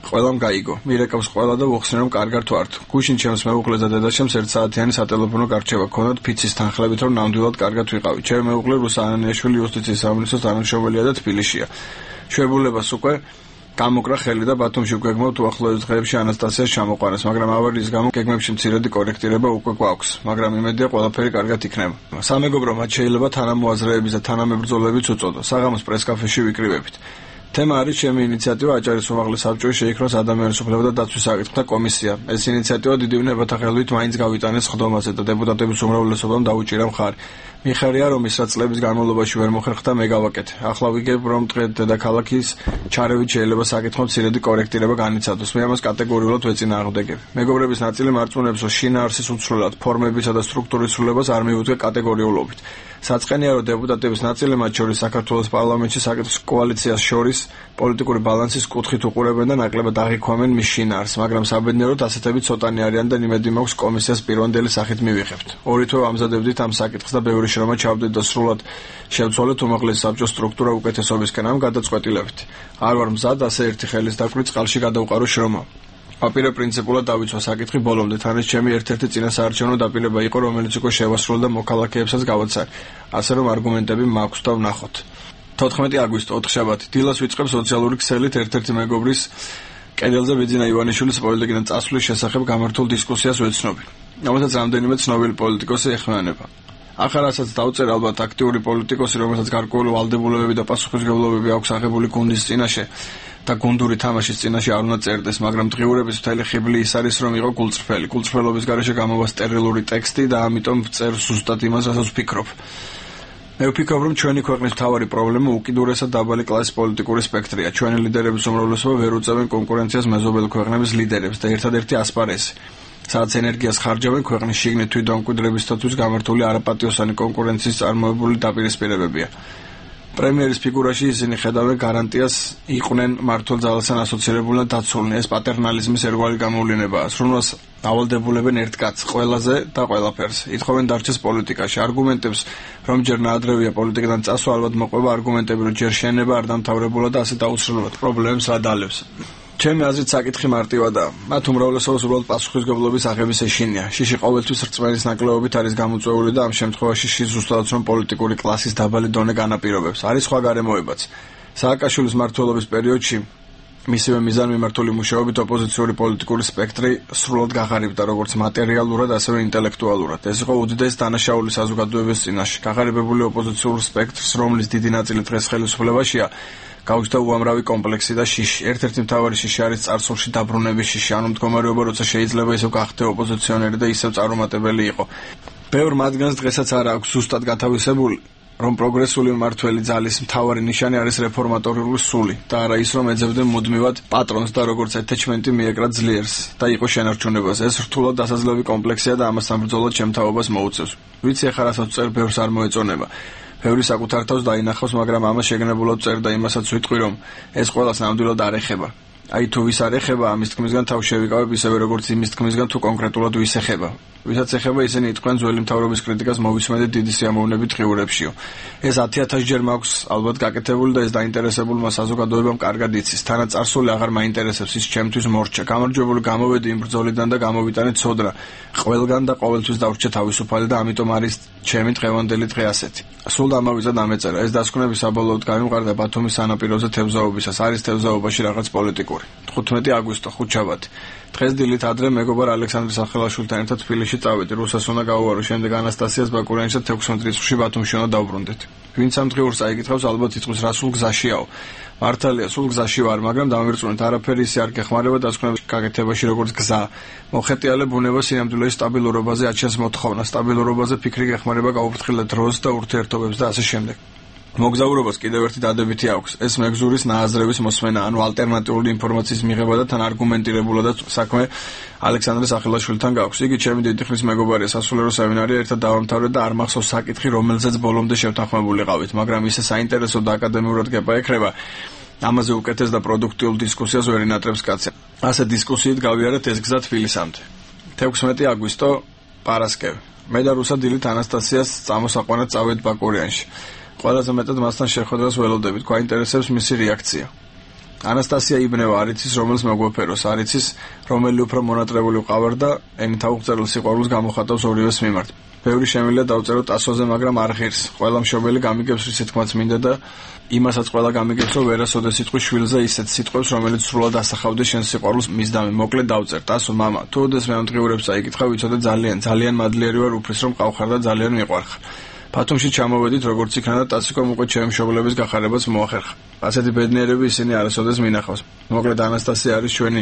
ყველამ გაიგო. მირეკავს ყველა და ვუხსნე რომ კარგად ვართ. გუშინ ჩემს მეუღლეს და დედაშემს 1 საათიანი სატელეფონო გარჩევა ქონდათ ფიცის თანხლებით რომ ნამდვილად კარგად ვიყავი. ჩემი მეუღლე რუსა ანანიაშვილი იუსტიციის სამინისტროს თანამშრომელია და თბილისშია. შვებულებას უკვე გამოკრა ხელი და ბათუმში გვეგმავთ უახლოეს დღეებში ანასტასიას ჩამოყვანას, მაგრამ ავარიის გამო გეგმებში მცირედი კორექტირება უკვე გვაქვს, მაგრამ იმედია ყველაფერი კარგად იქნება. სამეგობრო მათ შეიძლება თანამოაზრეების და თანამებრძოლებიც უწოდოს. საღამოს პრესკაფეში ვიკრიბებით. თემა არის ჩემი ინიციატივა აჭარის უმაღლეს საბჭოში შეიქმნოს ადამიანის უფლებათა დაცვის საკითხთა კომისია. ეს ინიციატივა დიდი უნებათა ხელით მაინც გავიტანეს ხდომაზე და დეპუტატების უმრავლესობამ დაუჭირა მხარი. მიხარია რომ ის რაც წლების განმავლობაში ვერ მოხერხდა მე გავაკეთე. ახლა ვიგებ რომ დღე დედაქალაქის ჩარევით შეიძლება საკითხო მცირედი კორექტირება განიცადოს. მე ამას კატეგორიულად ვეწინააღმდეგები. მეგობრების ნაწილი მარწმუნებს რომ შინაარსის უცვლელად ფორმებისა და სტრუქტურის ცვლილებას არ მიუძღვე კატეგორიულობით. საწყენია რომ დეპუტატების ნაწილი მათ შორის საქართველოს პარლამენტში საკითხის კოალიციას შორის პოლიტიკური ბალანსის კუთხით უყურებენ და ნაკლებად აღიქვამენ მის შინაარსს, მაგრამ საბედნიეროდ ასეთები ცოტანი არიან და იმედი მაქვს კომისიას პირვანდელი სახით მივიღებთ. ორი თვე ვამზადებდით ამ საკითხს და ბევრი შრომა ჩავდით და სრულად შევცვალეთ უმაღლესი საბჭოს სტრუქტურა უკეთესობისკენ ამ გადაწყვეტილებით. არ ვარ მზად ასე ერთი ხელის დაკვრის წყალში გადავყარო შრომა. აპირე პრინციპულად დავიცვა საკითხი ბოლომდე, თან ეს ჩემი ერთ-ერთი წინასაარჩევნო დაპირება იყო, რომელიც უკვე შევასრულე და მოქალაქეებსაც გავაცარი, ასე რომ არგუმენტები მაქვს და ვნახოთ. 14 აგვისტო 4 შაბათი დილას ვიწყებ სოციალური ქსელით ერთ-ერთი მეგობრის კედელზე ბიძინა ივანიშვილის პოლიტიკიდან წასვლის შესახებ გამართულ დისკუსიას ვეცნობი. რომელსაც რამდენიმე ცნობილი პოლიტიკოსი ეხმიანება. ახალასაც დავწერ ალბათ აქტიური პოლიტიკოსი, რომელსაც გარკვეული ვალდებულებები და პასუხისმგებლობები აქვს აღებული გუნდის წინაშე და გუნდური თამაშის წინაშე არ უნდა წერდეს, მაგრამ დღიურების მთელი ხიბლი ის არის, რომ იყო გულწრფელი. გულწრფელობის გარეშე გამოვა სტერილური ტექსტი და ამიტომ ვწერ ზუსტად იმას, რასაც ვფიქრობ. მე ვფიქრობ, რომ ჩვენი ქვეყნის მთავარი პრობლემა უკიდურესად დაბალი კლასის პოლიტიკური სპექტრია. ჩვენი ლიდერების უმრავლესობა ვერ უწევენ კონკურენციას მეზობელი ქვეყნების ლიდერებს და ერთადერთი ასპარეზი, სადაც ენერგიას ხარჯავენ ქვეყნის შიგნით თვითდამკვიდრებისათვის გამართული არაპატიოსანი კონკურენციის წარმოებული დაპირისპირებებია. პრემიერის ფიგურაში ისინი ხედავენ გარანტიას იყვნენ მართულ ძალასთან ასოცირებულნი და დაცულნი. ეს პატერნალიზმის ერთგვარი გამოვლენებაა. სრუნვას ავალდებულებენ ერთ კაცს, ყველაზე და ყველაფერს. ითხოვენ დარჩეს პოლიტიკაში. არგუმენტებს, რომ ჯერ ნაადრევია პოლიტიკიდან წასვლა, ალბათ მოყვება არგუმენტები, რომ ჯერ შენება არ დამთავრებულა და ასე დაუსრულებლად პრობლემებს რა დალევს. ჩემი აზრით საკითხი მარტივადაა. მათ უმრავლესობას უბრალოდ პასუხისმგებლობის აღების ეშინია. შიში ყოველთვის რწმენის ნაკლებობით არის გამოწვეული და ამ შემთხვევაში შის ზუსტადაც რომ პოლიტიკური კლასის დაბალი დონე განაპირობებს. არის სხვა გარემოებაც. სააკაშვილის მმართველობის პერიოდში მისივე მიზანმიმართული მუშაობით ოპოზიციური პოლიტიკური სპექტრი სრულად გაღარიბდა როგორც მატერიალურად, ასევე ინტელექტუალურად. ეს იყო უდიდესი დანაშაული საზოგადოების წინაშე. გაღარიბებული ოპოზიციურ სპექტრს, რომლის დიდი ნაწილი დღეს ხელისუფლებაშია, გაუჩნდა უამრავი კომპლექსი და შიში. ერთ-ერთი მთავარი შიში არის წარსულში დაბრუნების შიში, ანუ მდგომარეობა, როცა შეიძლება ისევ გახდე ოპოზიციონერი და ისევ წარუმატებელი იყო. ბევრ მათგანს დღესაც არ აქვს ზუსტად გათავისებული, რომ პროგრესული მმართველი ძალის მთავარი ნიშანი არის რეფორმატორული სული და არა ის, რომ ეძებდნენ მუდმივად პატრონს და როგორც ეთეჩმენტი მიეკრა ძლიერს და იყო შენარჩუნებას. ეს რთულად დასაძლევი კომპლექსია და ამასთან ბრძოლად შემთავობას მოუწევს. ვიცი ახლა რასაც წერ ბევრს არ მოეწონება. ბევრი საკუთარ თავს დაინახავს, მაგრამ ამას შეგნებულად წერ და იმასაც ვიტყვი, რომ ეს ყველას ნამდვილად არ ეხება. აი თუ ვის არ ეხება, ამის თქმისგან თავ შევიკავებ ისევე როგორც იმის თქმისგან თუ კონკრეტულად ვის ეხება. ვისაც ეხება, ისინი იტყვიან ძველი მთავრობის კრიტიკას მოვისმენთ დიდი სიამოვნებით ღიურებშიო. ეს 10,000 ჯერ მაქვს ალბათ გაკეთებული და ეს დაინტერესებულმა საზოგადოებამ კარგად იცის. თანაც წარსული აღარ მაინტერესებს, ის ჩემთვის მორჩა. გამარჯვებული გამოვედი იმ ბრძოლიდან და გამოვიტანე ცოდნა. ყველგან და ყოველთვის დავრჩე თავისუფალი და ამიტომ არის ჩემი დღევანდელი დღე ასეთი. სულ დამავიწყდა დამეწერა. ეს დასკვნები საბოლოოდ გამიმყარდა ბათუმის სანაპიროზე თევზაობისას. არის თევზაობაში რაღაც პოლიტიკური. 15 აგვისტო 5 შაბათი. დღეს დილით ადრე მეგობარ ალექსანდრე სახელაშვილთან ერთად თბილისში წავედი. რუსას უნდა გავუვარო, შემდეგ ანასტასიას ბაკურიანის და 16 რიცხვში ბათუმში უნდა დავბრუნდეთ. ვინც ამ დღიურს აიკითხავს, ალბათ იტყვის რა სულ გზაშიაო. მართალია, სულ გზაში ვარ, მაგრამ დამვირწმუნეთ, არაფერი ისე არ გეხმარება დასკვნების გაკეთებაში როგორც გზა. მოხეტიალე ბუნება სინამდვილეში სტაბილურობაზე აჩენს მოთხოვნა, სტაბილურობაზე ფიქრი გეხმარება გაუფრთხილდა დროს და ურთიერთობებს და ასე შემდეგ. მოგზაურობას კიდევ ერთი დადებითი აქვს. ეს მეგზურის ნააზრევის მოსმენა, ანუ ალტერნატიული ინფორმაციის მიღება და თან არგუმენტირებულადაც საქმე ალექსანდრე სახელაშვილთან გაქვს. იგი ჩემი დიდი ხნის მეგობარია, სასულიერო სემინარია ერთად დავამთავრეთ და არ მახსოვს საკითხი, რომელზეც ბოლომდე შევთანხმებულიყავით, მაგრამ ისე საინტერესო და აკადემიურად გეპაექრება. ამაზე უკეთეს და პროდუქტიულ დისკუსიას ვერ ინატრებს კაცი. ასე დისკუსიით გავიარეთ ეს გზა თბილისამდე. 16 აგვისტო პარასკევი. მე და რუსა დილით ანასტასიას წამოსაყვანად წავედით ბაკურიანში. ყველაზე მეტად მასთან შეხვედრას ველოდებით, გვაინტერესებს მისი რეაქცია. ანასტასია იბნევა არ იცის რომელს მოგვეფეროს, არ იცის რომელი უფრო მონატრებული ვყავარ და ენითა უღწერლ სიყვარულს გამოხატავს ორივეს მიმართ. ბევრი შემიძლია დავწეროთ ასოზე, მაგრამ არ ღირს. ყველა მშობელი გამიგებს რის თქმაც მინდა და იმასაც ყველა გამიგებს, რომ ვერასოდეს იტყვის შვილზე ისეთ სიტყვებს, რომელიც სრულად ასახავდეს შენს სიყვარულს მისდამი. მოკლედ დავწერ, ტასო მამა, თუ ოდესმე ამ დღიურებს წაიკითხა, ვიცოდე ძალიან მადლიერი ვარ უფლის რომ ყავხარ და ძალიან მიყვარხარ. ბათუმში ჩამოვედით როგორც იქნა და ტასიკომ უკვე ჩემი მშობლების გახარებას მოახერხა. ასეთი ბედნიერები ისინი არასოდეს მინახავს. მოკლედ ანასტასია არის ჩვენი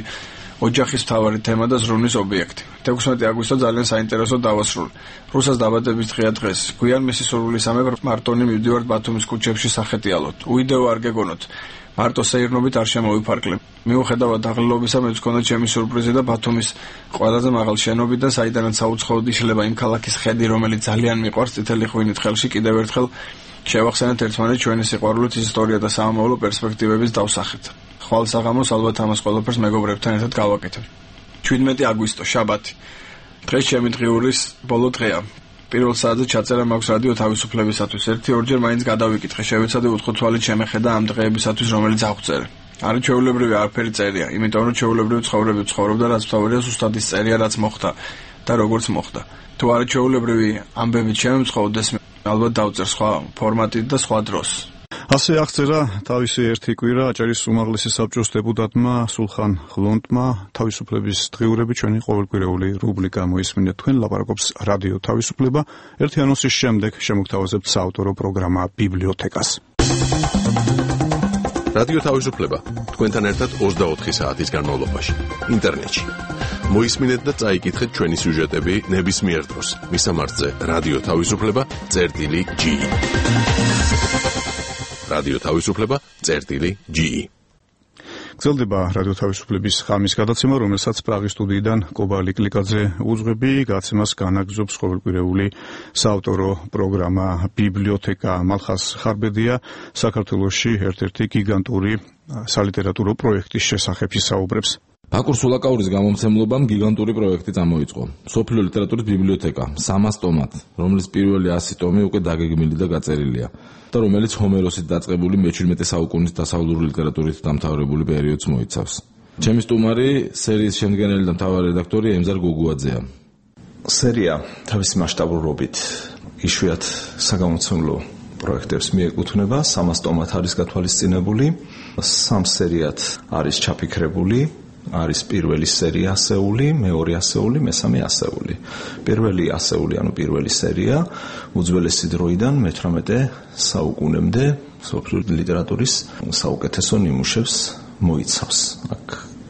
ოჯახის მთავარი თემა და ზრუნვის ობიექტი. 16 აგვისტო ძალიან საინტერესო დავასრულე. რუსას დაბადების დღეა დღეს. გვიან მისი სურვილისამებრ მარტონი მივდივართ ბათუმის ქუჩებში სახეტიალოთ. უიდეო არ გეგონოთ. მარტო სეირნობით არ შემოვიფარკლებ. მიუხედავად დაღლილობისა მეც გქონდა ჩემი სურპრიზი და ბათუმის ყველაზე მაღალ შენობიდან, საიდანაც საუცხოოდ იშლება იმ ქალაქის ხედი, რომელიც ძალიან მიყვარს, წითელი ღვინით ხელში კიდევ ერთხელ შევახსენეთ ერთმანეთს ჩვენი სიყვარულით ისტორია და სამომავლო პერსპექტივების დავსახეთ. ხვალ საღამოს ალბათ ამას ყველაფერს მეგობრებთან ერთად გავაკეთებ. 17 აგვისტო, შაბათი. დღეს ჩემი დღიურის ბოლო დღეა. პირველ საათზე ჩაწერა მაქვს რადიო თავისუფლებისათვის. 1-2 მაინც გადავიკითხე, შევეცადე უცხოთვალით შემეხედა ამ დღეებისათვის, რომელიც აღვწერე. არის ჩვეულებრივი არაფერი წერია, იმიტომ რომ ჩვეულებრივი ცხოვრები ვცხოვრობ და რაც მთავარია ზუსტად ის წერია, რაც მოხდა და როგორც მოხდა. თუ არის ჩვეულებრივი ამბებით შემემცხოვდეს, ალბათ დავწერ სხვა ფორმატით და სხვა დროს. ასე აღწერა თავისი ერთი კვირა აჭარის უმაღლესი საბჭოს დეპუტატმა სულხან ხლონტმა. თავისუფლების დღიურები ჩვენი ყოველკვირეული რუბრიკა მოისმინეთ თქვენ, ლაპარაკობს რადიო თავისუფლება. ერთი ანონსის შემდეგ შემოგთავაზებთ საავტორო პროგრამა ბიბლიოთეკას. რადიო თავისუფლება თქვენთან ერთად 24 საათის განმავლობაში ინტერნეტში. მოისმინეთ და წაიკითხეთ ჩვენი სიუჟეტები ნებისმიერ დროს. მისამართზე რადიო თავისუფლება.ge რადიო თავისუფლება.ge გრძელდება რადიო თავისუფლების ღამის გადაცემა, რომელსაც პრაღის სტუდიიდან კობა ლიკლიკაძე უძღვები. გადაცემას განაგრძობს ყოველკვირეული საავტორო პროგრამა ბიბლიოთეკა. მალხას ხარბედია საქართველოში ერთ-ერთი გიგანტური სალიტერატურო პროექტის შესახებ ისაუბრებს. ბაკურ სულაკაურის გამომცემლობამ გიგანტური პროექტი წამოიწყო. მსოფლიო ლიტერატურის ბიბლიოთეკა 300 ტომად, რომლის პირველი 100 ტომი უკვე დაგეგმილი და გაწერილია და რომელიც ჰომეროსით დაწყებული მე-17 საუკუნის დასავლური ლიტერატურით დამთავრებული პერიოდს მოიცავს. ჩემი სტუმარი სერიის შემდგენელი და მთავარი რედაქტორი ემზარ გოგუაძეა. სერია თავისი მასშტაბურობით იშვიათ საგამომცემლო პროექტებს მიეკუთვნება. 300 ტომად არის გათვალისწინებული, 3 სერიად არის ჩაფიქრებული. არის პირველი სერია ასეული, მეორე ასეული, მესამე ასეული. პირველი ასეული, ანუ პირველი სერია უძველესი დროიდან მე-18 საუკუნემდე მსოფლიო ლიტერატურის საუკეთესო ნიმუშებს მოიცავს. აქ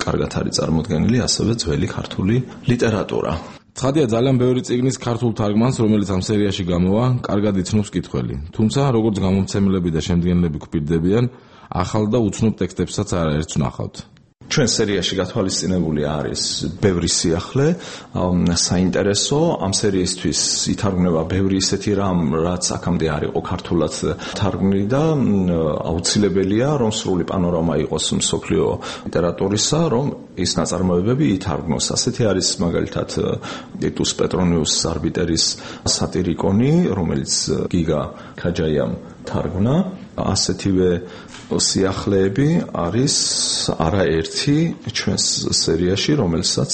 კარგად არის წარმოდგენილი ასევე ძველი ქართული ლიტერატურა. ცხადია, ძალიან ბევრი წიგნის ქართულ თარგმანს, რომელიც ამ სერიაში გამოვა, კარგად იცნობს მკითხველი. თუმცა, როგორც გამომცემლები და შემდგენლები გვპირდებიან, ახალ და უცნობ ტექსტებსაც არაერთს ვნახავთ. ჩვენ სერიაში გათვალისწინებული არის ბევრი სიახლე, საინტერესო. ამ სერიისთვის ითარგმნება ბევრი ისეთი რამ, რაც აქამდე არ იყო ქართულად თარგმნილი და აუცილებელია, რომ სრული პანორამა იყოს მსოფლიო ლიტერატურისა, რომ ის ნაწარმოებები ითარგმნოს. ასეთი არის მაგალითად ტიტუს პეტრონიუს არბიტერის სატირიკონი, რომელიც გიგა ქაჯაიამ თარგმნა. ასეთივე სიახლეები არის არაერთი ჩვენს სერიაში, რომელსაც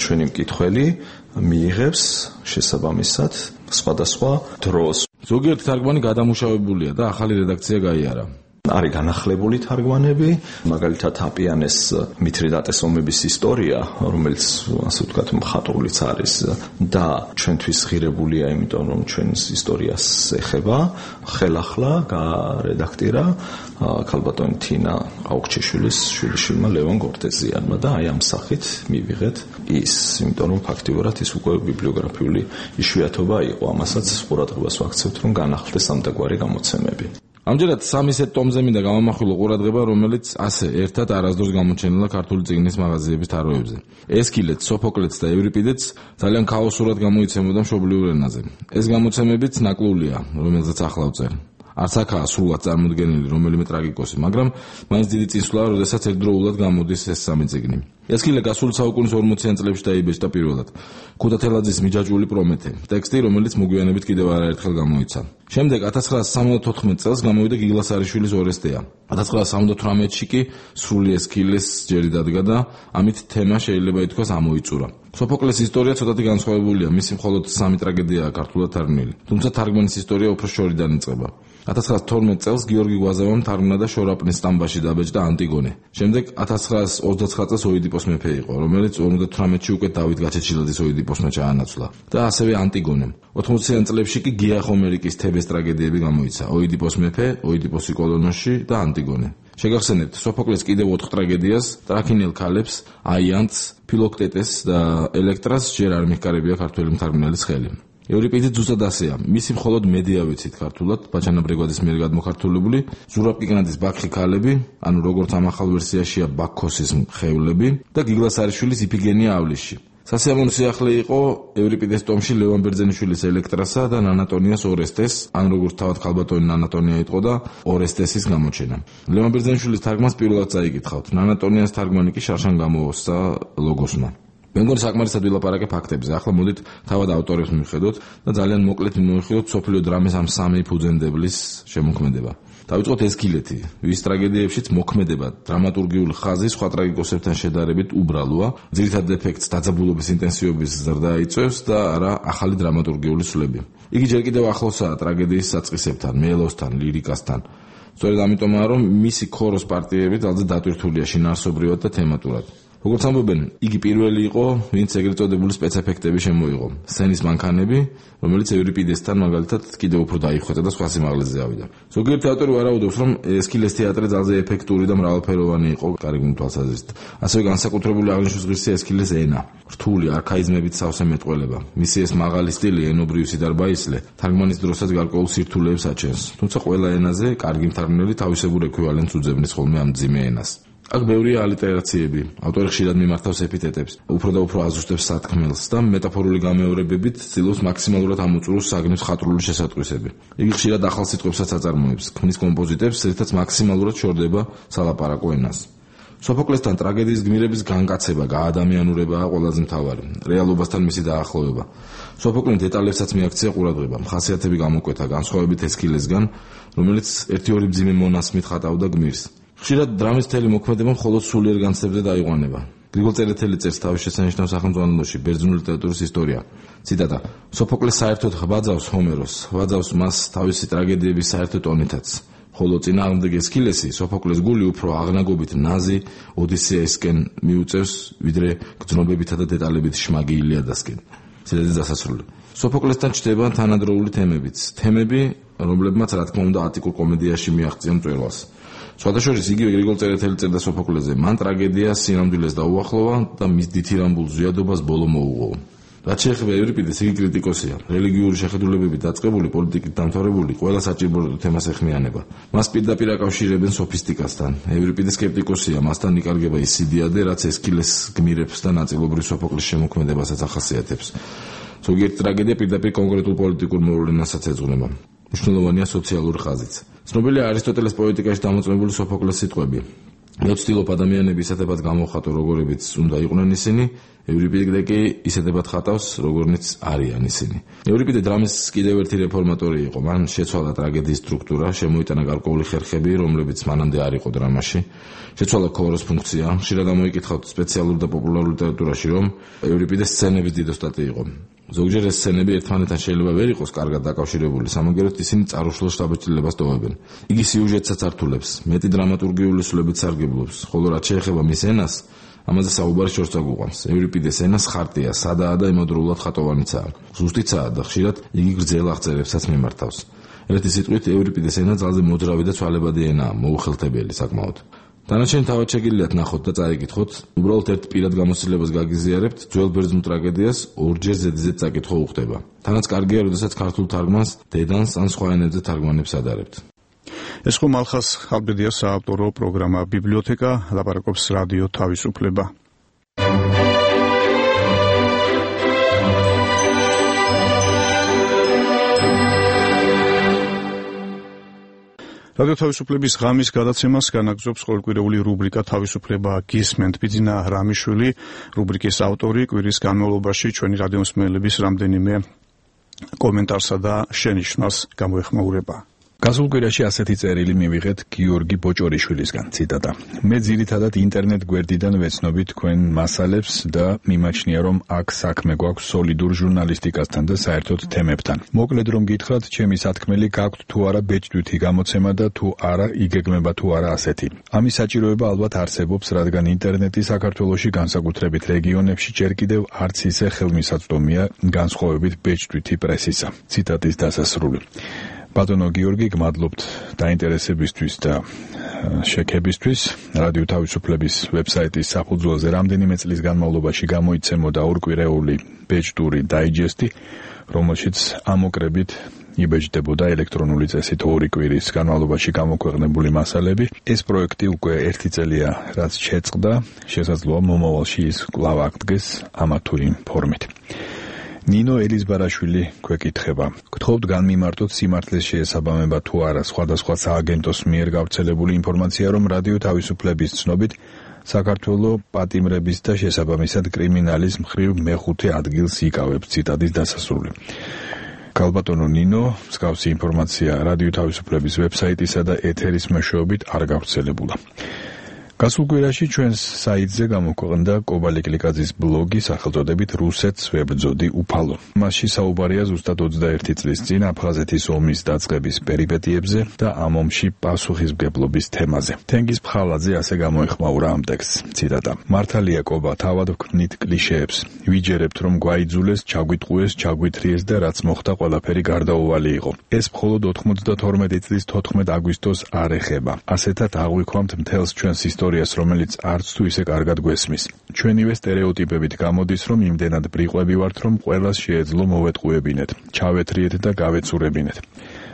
ჩვენი მკითხველი მიიღებს შესაბამისად სხვადასხვა დროს. ზოგიერთი თარგმანი გადამუშავებულია და ახალი რედაქცია გაიარა. არის განახლებული თარგმანები, მაგალითად აპიანეს მითრიდატეს ომების ისტორია, რომელიც ასე ვთქვათ მხატვრულიც არის და ჩვენთვის ღირებულია, იმიტომ რომ ჩვენს ისტორიას ეხება. ხელახლა გარედაქტირა ქალბატონი თინა აუქჩიშვილის შვილიშვილმა ლევან გორდეზიანმა და აი ამ სახით მივიღეთ ის, იმიტომ რომ ფაქტიურად ის უკვე ბიბლიოგრაფიული იშვიათობა იყო. ამასაც ყურადღებას ვაქცევთ, რომ განახლდეს ამდაგვარი გამოცემები. ამჯერად 300 ტომზე მინდა გამომახვილო ყურადღება, რომელიც ასე ერთად არასდროს გამოჩენილა ქართული წიგნის მაღაზიების თაროებზე. ესქილეც, სოფოკლეც და ევრიპიდეც ძალიან ქაოსურად გამოიცემოდა მშობლიურ ენაზე. ეს გამოცემებიც ნაკლულია, რომელზეც ახლა ვწერ. არც აქაა სრულად წარმოდგენილი რომელიმე ტრაგიკოსი, მაგრამ მაინც დიდი წინსვლაა, როდესაც ერთდროულად გამოდის ეს სამი წიგნი. ესქილე გასული საუკუნის 40-იან წლებში დაიბეჭდა პირველად. ქუთათელაძის მიჯაჭვული პრომეთე, ტექსტი, რომელიც მოგვიანებით კიდევ არაერთხელ გამოიცა. შემდეგ 1974 წელს გამოვიდა გიგლას არიშვილის ორესტეა. 1978-ში კი სრული ესკილეს ჯერი დადგა და ამით თემა შეიძლება ითქვას ამოიწურა. სოფოკლეს ისტორია ცოტათი განსხვავებულია, მისი მხოლოდ 3 ტრაგედიაა ქართულად თარგმნილი. თუმცა თარგმანის ისტორია უფრო შორიდან იწყება. 1912 წელს გიორგი გვაზავამ თარგმნა და შორაპნის სტამბაში დაბეჭდა ანტიგონე. შემდეგ 1929 წელს ოიდიპოს მეფე იყო, რომელიც 58-ში უკვე დავით გაჩეჩილაძის ოიდიპოსმა ჩაანაცვლა და ასევე ანტიგონემ. 80-იან წლებში კი გია ხომერიკის თებეს ტრაგედიები გამოიცა: ოიდიპოს მეფე, ოიდიპოსი კოლონოში და ანტიგონე. შეგახსენებთ სოფოკლეს კიდევ 4 ტრაგედიას, ტრაქინელ ქალებს, აიანთს, ფილოქტეტეს და ელექტრას ჯერ არ მიხკარებია ქართველი მთარგმნელის ხელი. ევრიპიდე ზუსტად ასეა. მისი მხოლოდ მედია ვიცით ქართულად, ბაჩანა ბრეგვაძის მიერ გადმოხართულებული, ზურაბ კიკნაძის ბაქხი ქალები, ანუ როგორც ამ ახალ ვერსიაშია ბაქქოსის ხევლები და გიგლას არიშვილის იფიგენია ავლიში. სასიამოვნო სიახლე იყო ევრიპიდეს ტომში ლევან ბერძენიშვილის ელექტრასა და ნანატონიას ორესტეს, ან როგორც თავად ქალბატონი ნანატონია იყო და ორესტესის გამოჩენა. ლევან ბერძენიშვილის თარგმანს პირველად წაიკითხავთ. ნანატონიას თარგმანი კი შარშან გამოოსცა ლოგოსმა. მე მგონი საკმარისად ვილაპარაკე ფაქტებზე. ახლა მოდით თავად ავტორებს მივხედოთ და ძალიან მოკლედ მივხვდეთ სოფლიო დრამის ამ 3 ფუძემდებლის შემოქმედება. დავიწყოთ ესკილეთი, ვის ტრაგედიებშიც მოქმედება დრამატურგიული ხაზი სხვა ტრაგიკოსებთან შედარებით უბრალოა, ძირითად ეფექტს დაძაბულობის ინტენსივობის ზრდა იწვევს და არა ახალი დრამატურგიული სვლები. იგი ჯერ კიდევ ახლოსაა ტრაგედიის საწყისებთან, მელოსთან, ლირიკასთან. სწორედ ამიტომაა, რომ მისი ქოროს პარტიები ძალზე დატვირთულია შინაარსობრივად და თემატურად. როგორც ამბობენ, იგი პირველი იყო, ვინც ეგრეთ წოდებული სპეცეფექტები შემოიღო. სცენის მანქანები, რომელიც ევრიპიდესთან მაგალითად კიდევ უფრო დაიხვეწა და სხვა სიმაღლეზე ავიდა. ზოგიერთი ავტორი ვარაუდობს, რომ ესკილეს თეატრი ძალზე ეფექტური და მრავალფეროვანი იყო კარგული თვალსაზრისით. ასევე განსაკუთრებული აღნიშნვის ღირსია ესკილეს ენა. რთული არქაიზმებით სავსე მეტყველება. მისი ეს მაღალი სტილი, ენობრივი სიდარბაისლე, თარგმანის დროსაც გარკვეულ სირთულეებს აჩენს. თუმცა ყველა ენაზე კარგი მთარგმნელი თავისებურ ექვივალენტს უძებნის ხოლმე ამ მძიმე ენას. აქ ბევრია ალიტერაციები, ავტორი ხშირად მიმართავს ეპითეტებს, უფრო და უფრო აზუსტებს სათქმელს და მეტაფორული გამეორებებით ცდილობს მაქსიმალურად ამოწუროს საგნის ხატრული შესატყვისები. იგი ხშირად ახალ სიტყვებსაც აწარმოებს, ქმნის კომპოზიტებს, რითაც მაქსიმალურად შორდება სალაპარაკო ენას. სოფოკლესთან ტრაგედიის გმირების განკაცება, გაადამიანურებაა ყველაზე მთავარი, რეალობასთან მისი დაახლოვება. სოფოკლემ დეტალებსაც მიაქცია ყურადღება, ხასიათები გამოკვეთა განსხვავებით ესკილესგან, რომელიც 1-2 მძიმე მონასმით ხატავდა გმირს. ხშირად დრამის მთელი მოქმედება მხოლოდ სულიერ განცდებზე დაიყვანება. გრიგოლ წერეთელი წერს თავის შესანიშნავ სახელმძღვანელოში ბერძნული ლიტერატურის ისტორია. ციტატა: სოფოკლეს საერთოდ ღვაძავს ჰომეროს, ღვაძავს მას თავისი ტრაგედიების საერთო ტონითაც. ხოლო წინააღმდეგ ესკილესი სოფოკლეს გული უფრო აღნაგობით ნაზი ოდისეისკენ მიუწევს, ვიდრე გრძნობებითა და დეტალებით შმაგი ილიადასკენ. ციტატის დასასრული. სოფოკლესთან ჩდება თანადროული თემებიც, თემები, რომლებმაც რა თქმა უნდა ატიკურ კომედიაში მიაღწია მწვერვალს. სხვადასხვა იგივე გრიგოლ წერეთელი წერდა სოფოკლეზე, მან ტრაგედია სინამდვილეს დაუახლოვა და მის დითირამბულ ზვიადობას ბოლო მოუღო. რაც შეეხება ევრიპიდეს, იგი კრიტიკოსია, რელიგიური შეხედულებებით დაწყებული, პოლიტიკით დამთავრებული, ყველა საჭირო თემას ეხმიანება. მას პირდაპირ აკავშირებენ სოფისტიკასთან. ევრიპიდე სკეპტიკოსია, მასთან იკარგება ის სიდიადე, რაც ესკილეს გმირებს და ნაწილობრივ სოფოკლეს შემოქმედებასაც ახასიათებს. ზოგიერთი ტრაგედია პირდაპირ კონკრეტულ პოლიტიკურ მოვლენასაც ეძღვნება. მნიშვნელოვანია სოციალური ხაზიც. ცნობილია არისტოტელეს პოეტიკაში დამოწმებული სოფოკლეს სიტყვები. მე ვცდილობ ადამიანები ისეთებად გამოვხატო, როგორებიც უნდა იყვნენ ისინი, ევრიპიდე კი ისეთებად ხატავს, როგორნიც არიან ისინი. ევრიპიდე დრამის კიდევ ერთი რეფორმატორი იყო. მან შეცვალა ტრაგედიის სტრუქტურა, შემოიტანა გარკვეული ხერხები, რომლებიც მანამდე არ იყო დრამაში. შეცვალა ქოროს ფუნქცია. ხშირად ამოიკითხავთ სპეციალურ და პოპულარულ ლიტერატურაში, რომ ევრიპიდეს სცენების დიდოსტატი იყო. ზოგჯერ ეს სცენები ერთმანეთთან შეიძლება ვერ იყოს კარგად დაკავშირებული, სამაგეროდ ისინი წარუშლელ შთაბეჭდილებას ტოვებენ. იგი სიუჟეტსაც ართულებს, მეტი დრამატურგიული სვლებით სარგებლობს, ხოლო რაც შეეხება მის ენას, ამაზე საუბარი შორს აგვიყვანს. ევრიპიდეს ენას ხარტია, სადაა და იმოდროულად ხატოვანიცაა. ზუსტიცაა და ხშირად იგი გრძელ აღწერებსაც მიმართავს. ერთი სიტყვით, ევრიპიდეს ენა ძალზე მოძრავი და ცვალებადი ენაა, მოუხელთებელი საკმაოდ. დანარჩენი თავად შეგიძლიათ ნახოთ და წაიკითხოთ, უბრალოდ ერთ პირად გამოცდილებას გაგიზიარებთ, ძველ ბერძნულ ტრაგედიას ორჯერ ზედიზედ წაკითხვა უხდება. თანაც კარგია, როდესაც ქართულ თარგმანს დედანს ან სხვა ენებზე თარგმანებს ადარებთ. ეს ხო მალხას ხალბედიას საავტორო პროგრამა ბიბლიოთეკა, ლაპარაკობს რადიო თავისუფლება. რადიო თავისუფლების ღამის გადაცემას განაგრძობს ყოველკვირეული რუბრიკა თავისუფლება გისმენთ. ბიძინა რამიშვილი, რუბრიკის ავტორი, კვირის განმავლობაში ჩვენი რადიომსმენელების რამდენიმე კომენტარსა და შენიშვნას გამოეხმაურება. გასულ კვირაში ასეთი წერილი მივიღეთ გიორგი ბოჭორიშვილისგან, ციტატა: მე ძირითადად ინტერნეტ გვერდიდან ვეცნობი თქვენ მასალებს და მიმაჩნია, რომ აქ საქმე გვაქვს სოლიდურ ჟურნალისტიკასთან და საერთოდ თემებთან. მოკლედ რომ გითხრათ, ჩემი სათქმელი გაქვთ თუ არა ბეჭდვითი გამოცემა და თუ არა იგეგმება თუ არა ასეთი. ამის საჭიროება ალბათ არსებობს, რადგან ინტერნეტი საქართველოში განსაკუთრებით რეგიონებში ჯერ კიდევ არც ისე ხელმისაწვდომია განსხვავებით ბეჭდვითი პრესისა. ციტატის დასასრული. ბატონო გიორგი, გმადლობთ დაინტერესებისთვის და შექებისთვის. რადიო თავისუფლების ვებსაიტის საფუძველზე რამდენიმე წლის განმავლობაში გამოიცემოდა ორკვირეული ბეჭდური დაიჯესტი, რომელშიც ამოკრებით იბეჭდებოდა ელექტრონული წესით 2 კვირის განმავლობაში გამოქვეყნებული მასალები. ეს პროექტი უკვე 1 წელია, რაც შეწყდა, შესაძლოა მომავალში ის კვლავ აღდგეს ამა თუ იმ ფორმით. ნინო ელიზბარაშვილი გვეკითხება: გთხოვთ განმიმარტოთ სიმართლეს შეესაბამება თუ არა სხვადასხვა სააგენტოს მიერ გავრცელებული ინფორმაცია, რომ რადიო თავისუფლების ცნობით საქართველოს პატიმრების და შესაბამისად კრიმინალის მხრივ მეხუთე ადგილს იკავებს. ციტატის დასასრული. ქალბატონო ნინო, მსგავსი ინფორმაცია რადიო თავისუფლების ვებსაიტისა და ეთერის მეშვეობით არ გავრცელებულა. გასულ კვირაში ჩვენს საიტზე გამოქვეყნდა კობალე კლიკაძის ბლოგი სახელწოდებით რუსეთს ვებრძოდი უფალო. მასში საუბარია ზუსტად 21 წლის წინ აფხაზეთის ომის დაწყების პერიპეტიებზე და ამ ომში პასუხისმგებლობის თემაზე. თენგიზ ფხალაძე ასე გამოეხმაურა ამ ტექსტს. ციტატა: მართალია კობა, თავად ვქმნით კლიშეებს. ვიჯერებთ, რომ გვაიძულეს, ჩაგვიტყუეს, ჩაგვითრიეს და რაც მოხდა ყველაფერი გარდაუვალი იყო. ეს მხოლოდ 92 წლის 14 აგვისტოს არ ეხება. ასეთად აღვიქვამთ მთელს ჩვენს ისტორიას, რომელიც არც თუ ისე კარგად გვესმის. ჩვენივე სტერეოტიპებით გამოდის, რომ იმდენად ბრიყვები ვართ, რომ ყველას შეეძლო მოვეტყუებინეთ, ჩავეთრიეთ და გავეცურებინეთ.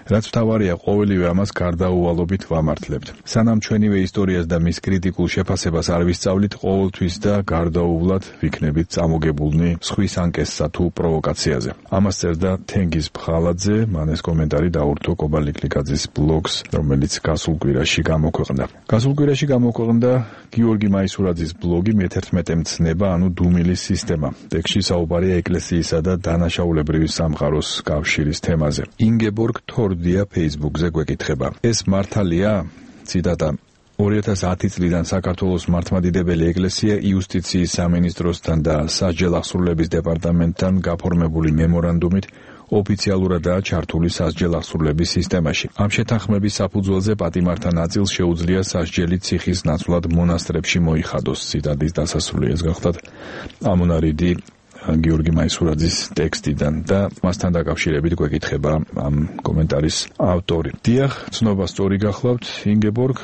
რაც მთავარია, ყოველივე ამას გარდაუვალობით ვამართლებთ. სანამ ჩვენივე ისტორიას და მის კრიტიკულ შეფასებას არ ვისწავლით, ყოველთვის და გარდაუვლად ვიქნებით წამოგებულნი სხვის ანკესსა თუ პროვოკაციაზე. ამას წერდა თენგიზ ფხალაძე, მან ეს კომენტარი დაურთო კობალე კლიკაძის ბლოგს, რომელიც გასულ კვირაში გამოქვეყნდა. გასულ კვირაში გამოქვეყნდა გიორგი მაისურაძის ბლოგი მე-11 მცნება, ანუ დუმილის სისტემა. ტექსტში საუბარია ეკლესიისა და დანაშაულებრივი სამყაროს კავშირის თემაზე. ინგებორგ თორდია Facebook-ზე გვეკითხება: ეს მართალია? ციტატა: 2010 წლიდან საქართველოს მართლმადიდებელი ეკლესია იუსტიციის სამინისტროსთან და სასჯელ აღსრულების დეპარტამენტთან გაფორმებული მემორანდუმით ოფიციალურადაა ჩართული სასჯელ აღსრულების სისტემაში. ამ შეთანხმების საფუძველზე პატიმართა ნაწილს შეუძლია სასჯელი ციხის ნაცვლად მონასტრებში მოიხადოს. ციტატის დასასრული. ეს გახლავთ ამონარიდი გიორგი მაისურაძის ტექსტიდან და მასთან დაკავშირებით გვეკითხება ამ კომენტარის ავტორი. დიახ, ცნობა სწორი გახლავთ, ინგებორგ.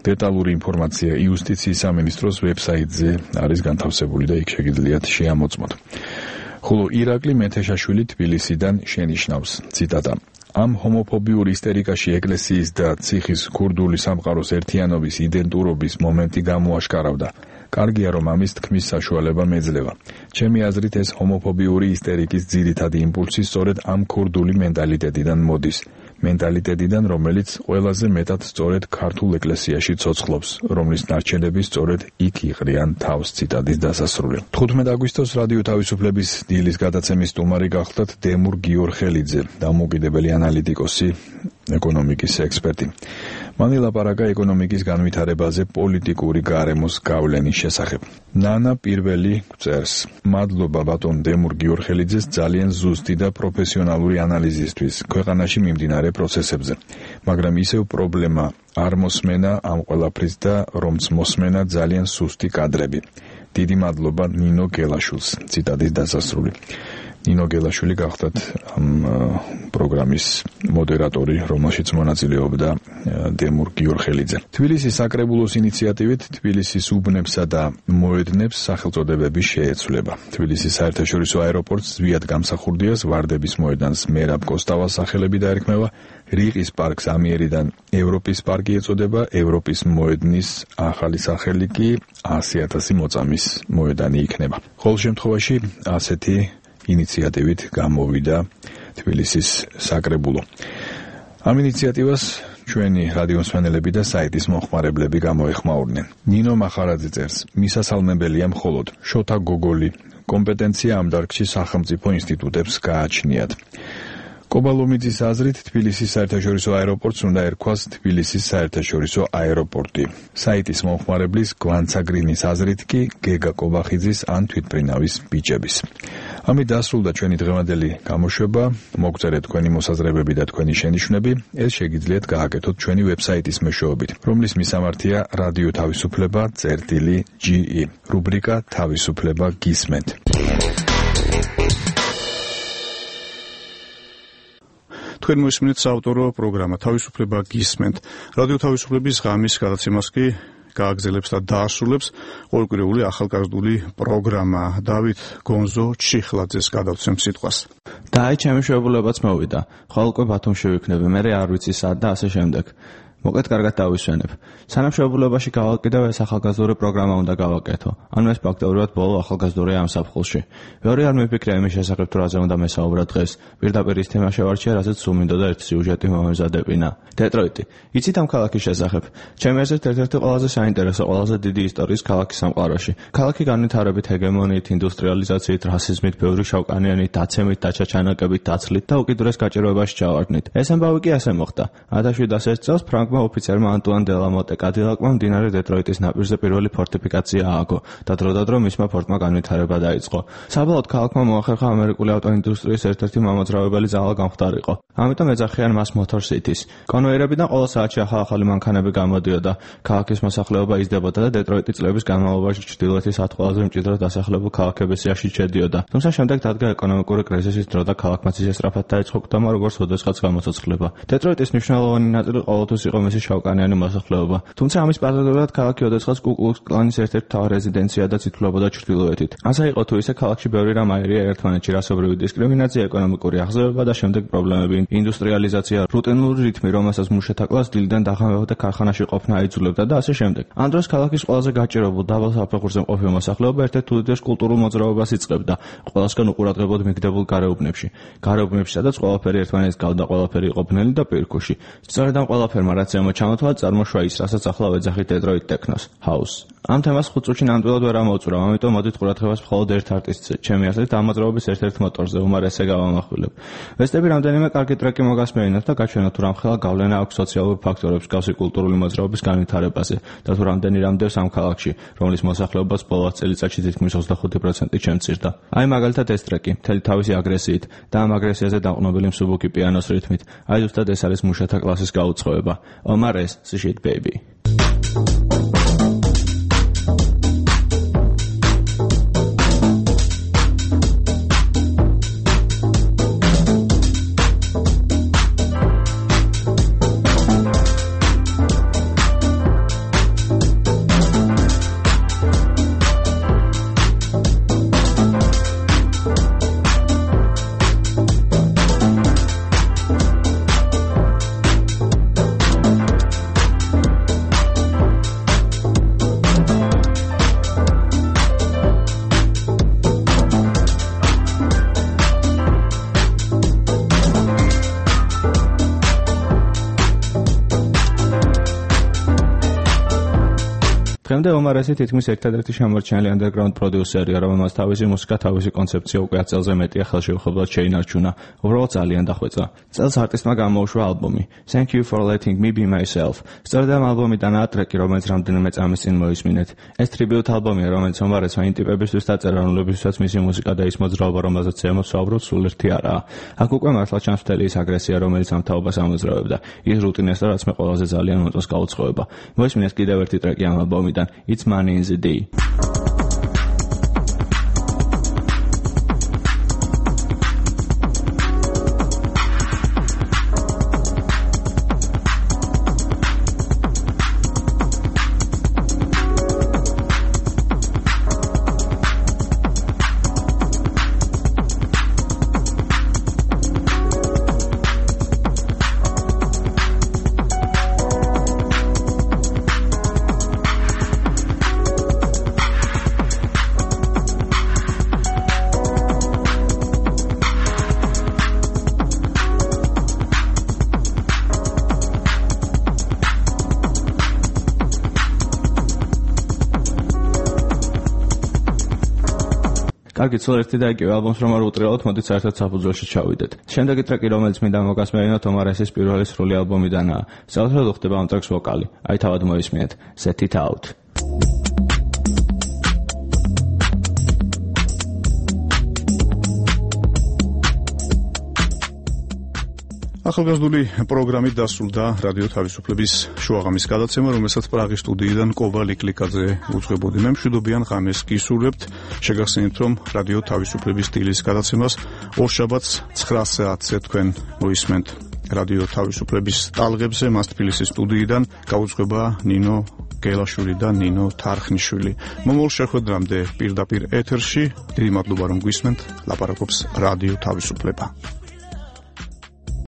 დეტალური ინფორმაცია იუსტიციის სამინისტროს ვებსაიტზე არის განთავსებული და იქ შეგიძლიათ შეამოწმოთ. ხოლო ირაკლი მეთეშაშვილი თბილისიდან შენიშნავს. ციტატა: ამ ჰომოფობიურ ისტერიკაში ეკლესიის და ციხის ქურდული სამყაროს ერთიანობის იდენტურობის მომენტი გამოაშკარავდა. კარგია, რომ ამის თქმის საშუალება მეძლევა. ჩემი აზრით, ეს ჰომოფობიური ისტერიკის ძირითადი იმპულსი სწორედ ამ ქურდული მენტალიტეტიდან მოდის. მენტალიტეტიდან, რომელიც ყველაზე მეტად სწორედ ქართულ ეკლესიაში ცოცხლობს, რომლის ნარჩენები სწორედ იქ იყრიან თავს. ციტატის დასასრული. 15 აგვისტოს რადიო თავისუფლების დილის გადაცემის სტუმარი გახლდათ დემურ გიორხელიძე, დამოუკიდებელი ანალიტიკოსი, ეკონომიკის ექსპერტი. მან ელაპარაკა ეკონომიკის განვითარებაზე პოლიტიკური გარემოს გავლენის შესახებ. ნანა პირველი წერს: მადლობა ბატონ დემურ გიორხელიძეს ძალიან ზუსტი და პროფესიონალური ანალიზისთვის ქვეყანაში მიმდინარე პროცესებზე. მაგრამ ისევ პრობლემა არ მოსმენა ამ ყველაფრის და რომც მოსმენა ძალიან სუსტი კადრები. დიდი მადლობა ნინო გელაშვილს. ციტატის დასასრული. ნინო გელაშვილი გახლავთ ამ პროგრამის მოდერატორი, რომელშიც მონაწილეობდა დემურ გიორხელიძე. თბილისის საკრებულოს ინიციატივით თბილისის უბნებსა და მოედნებს სახელწოდებები შეეცვლება. თბილისის საერთაშორისო აეროპორტს ზვიად გამსახურდიას ვარდების მოედანს მერაბ კოსტავას სახელები დაერქმევა, რიყის პარკს ამიერიდან ევროპის პარკი ეწოდება, ევროპის მოედნის ახალი სახელი კი 100,000 მოწამის მოედანი იქნება. ყოველ შემთხვევაში ასეთი ინიციატივით გამოვიდა თბილისის საკრებულო. ამ ინიციატივას ჩვენი რადიომსმენელები და საიტის მომხმარებლები გამოეხმაურნენ. ნინო მახარაძე წერს: მისასალმებელია მხოლოდ შოთა გოგოლი კომპეტენცია ამ დარგში სახელმწიფო ინსტიტუტებს გააჩნიათ. კობალომიძის აზრით თბილისის საერთაშორისო აეროპორტს უნდა ერქვას თბილისის საერთაშორისო აეროპორტი. საიტის მომხმარებლის გვანცაგრინის აზრით კი გეგა კობახიძის ან თვითმფრინავის ბიჭების. ამით დასრულდა ჩვენი დღევანდელი გამოშვება. მოგწერეთ თქვენი მოსაზრებები და თქვენი შენიშვნები. ეს შეგიძლიათ გააკეთოთ ჩვენი ვებსაიტის მეშვეობით, რომლის მისამართია რადიო თავისუფლება წერტილი.ge. რუბრიკა თავისუფლება გისმენთ. თქვენ მოსმენთ საავტორო პროგრამა თავისუფლება გისმენთ. რადიო თავისუფლების ღამის გადაცემას კი გააგრძელებს და დაასრულებს ყოველკვირეული ახალგაზრდული პროგრამა. დავით გონზო ჩიხლაძეს გადავცემ სიტყვას. და აი ჩემი შეულებაც მოვიდა. ხოლმე ბათუმში ვიქნები, მე არ ვიცი სად და ასე შემდეგ. მოკლედ კარგად დავისვენებ. სანამ შეულებაში გავაკეთებ ეს ახალგაზრდული პროგრამა უნდა გავაკეთო. ანუ ეს ფაქტობრივად ბოლო ახალგაზრდული ამ საფხულში. მეორე არ მიფიქრე იმის შესახებ თუ რაზე უნდა მესაუბრა დღეს. პირდაპირ ის თემა შევარჩია, რასაც სულ მინდოდა ერთი სიუჟეტი მომეზადებინა. დეტროიტი. იცით ამ ქალაქის შესახებ? ჩემი აზრით ერთ-ერთი ყველაზე საინტერესო, ყველაზე დიდი ისტორიის ქალაქი სამყაროში. ქალაქი განვითარებით, ჰეგემონიით, ინდუსტრიალიზაციით, რასიზმით, ბევრი შავკანიანით, დაცემით, დაჩაჩანაკებით, დაცლით და უკიდურეს გაჭირვებაში ჩავარდნით. ეს ამბავი კი ასე მოხდა. 1701 წელს ოფიცერმა ანტუან დელამოტე კადილაკმა მდინარე დეტროიტის ნაპირზე პირველი ფორტიფიკაცია ააგო და დროდადრო მისმა ფორტმა განვითარება დაიწყო. საბოლოოდ ქალაქმა მოახერხა ამერიკული ავტოინდუსტრიის ერთ-ერთი მამოძრავებელი ძალა გამხდარიყო. ამიტომ ეძახიან მას Motor Cities. კონვეიერებიდან ყოველ საათში ახალი მანქანები გამოდიოდა. ქალაქის მოსახლეობა იზრდებოდა და დეტროიტი წლების განმავლობაში ჩრდილოეთის 10 ყველაზე მჭიდროდ დასახლებულ ქალაქების სიაში შედიოდა. თუმცა შემდეგ დადგა ეკონომიკური კრიზისის დრო და ქალაქმა ისესწრაფად დაიწყო კვდამა, როგორც ოდესღაც გამოცოცხლება. დეტროიტის მნიშვნელოვანი ნაწილი ყოველთვის იყო მისი შავკანიანი მოსახლეობა. თუმცა ამის პარალელურად ქალაქი ოდესღაც კუ-კლუქს კლანის ერთ-ერთი მთავარი რეზიდენცია და ციტლებოდა ჩრდილოეთით. ასე იყო თუ ისე ქალაქში ბევრი რამ აერია ერთმანეთში, რასობრივი დისკრიმინაცია, ეკონომიკური აღზევება და შემდეგ პრობლემები, ინდუსტრიალიზაცია, რუტინული რითმი, რომელსაც მუშათა კლასს დილიდან დაღამებოდა ქარხანაში ყოფნა აიძულებდა და ასე შემდეგ. ამ დროს ქალაქის ყველაზე გაჭირებულ დაბალ საფეხურზე მყოფი მოსახლეობა ერთ-ერთ უდიდეს კულტურულ მოძრაობას იწყებდა, ყველასგან უყურადღებოდ მიგდებულ გარეუბნებში. გარეუბნებში, სადაც ყველაფერი ერთმანეთს გავდა, ყველაფერი იყო ბნელი და პირქუში. სწორედ ამ ყველაფერმა რაც ჩამოთვალა წარმოშვა ის, რასაც ახლა ვეძახით დეტროიტ ტექნოს, house. ამ თემას 5 წუთში ნამდვილად ვერ ამოვწურავ, ამიტომ მოდით ყურადღებას მხოლოდ ერთ არტისტზე, ჩემი აზრით ამ მოძრაობის ერთ-ერთ მოტორზე, უმარ ესე გავამახვილებ. ვესტები რამდენიმე კარგი ტრეკი მოგასმენინოთ და გაჩვენოთ თუ რამხელა გავლენა აქვს სოციალურ ფაქტორებს მსგავსი კულტურული მოძრაობის განვითარებაზე და თუ რამდენი რამდევს ამ ქალაქში, რომლის მოსახლეობას ბოლო 10 წელიწადში თითქმის 25% შემცირდა. აი მაგალითად ეს ტრეკი, მთელი თავისი აგრესიით და ამ აგრესიაზე დაყრდნობილი მსუბუქი პიანოს რითმით. აი ზუსტად ეს არის მუშათა კლასის გაუწყოება. Omar S. Shit Baby. დღემდე Omar S თითქმის ერთადერთი შემორჩენილი underground პროდიუსერია, რომელმაც თავისი მუსიკა, თავისი კონცეფცია უკვე 10 წელზე მეტია ხელშეუხებლად შეინარჩუნა. უბრალოდ ძალიან დახვეწა. წელს არტისტმა გამოუშვა ალბომი Thank You for Letting Me Be Myself. სწორედ ამ ალბომიდანაა ტრეკი, რომელიც რამდენიმე წამის წინ მოისმინეთ. ეს ტრიბიუტ ალბომია, რომელიც Omar S-მა იმ ტიპებისთვის დაწერა, რომლებისთვისაც მისი მუსიკა და ის მოძრაობა, რომელზეც ემოცავბროთ, სულ ერთი არაა. აქ უკვე მართლა ჩანს მთელი ის აგრესია, რომელიც ამ თაობას ამოძრავებდა. ის რუტინას და რაც მე ყველაზე ძალიან მომწონს გაუწყოება. მოისმინეთ კიდევ ერთი ტრეკი ამ ალბომიდან. It's Money in the Day. კარგი, ცოტა ერთი და იგივე ალბომს რომ არ უტრიალოთ, მოდით საერთოდ საფუძველში ჩავიდეთ. შემდეგი ტრეკი, რომელიც მინდა მოგასმენინოთ, ომარესის პირველი სრული ალბომიდანაა. საერთოდ ხდება ამ ტრეკს ვოკალი. აი თავად მოისმინეთ. Set it out. ახალგაზრდული პროგრამით დასრულდა რადიო თავისუფლების შუაღამის გადაცემა, რომელსაც პრაღის სტუდიიდან კობა ლიკლიკაძე უძღვებოდი. მე მშვიდობიან ღამეს გისურვებთ. შეგახსენებთ, რომ რადიო თავისუფლების დილის გადაცემას ორშაბათს 9 საათზე თქვენ მოისმენთ რადიო თავისუფლების ტალღებზე. მას თბილისის სტუდიიდან გაუძღვება ნინო გელაშვილი და ნინო თარხნიშვილი. მომავალ შეხვედრამდე პირდაპირ ეთერში დიდი მადლობა რომ გვისმენთ. ლაპარაკობს რადიო თავისუფლება.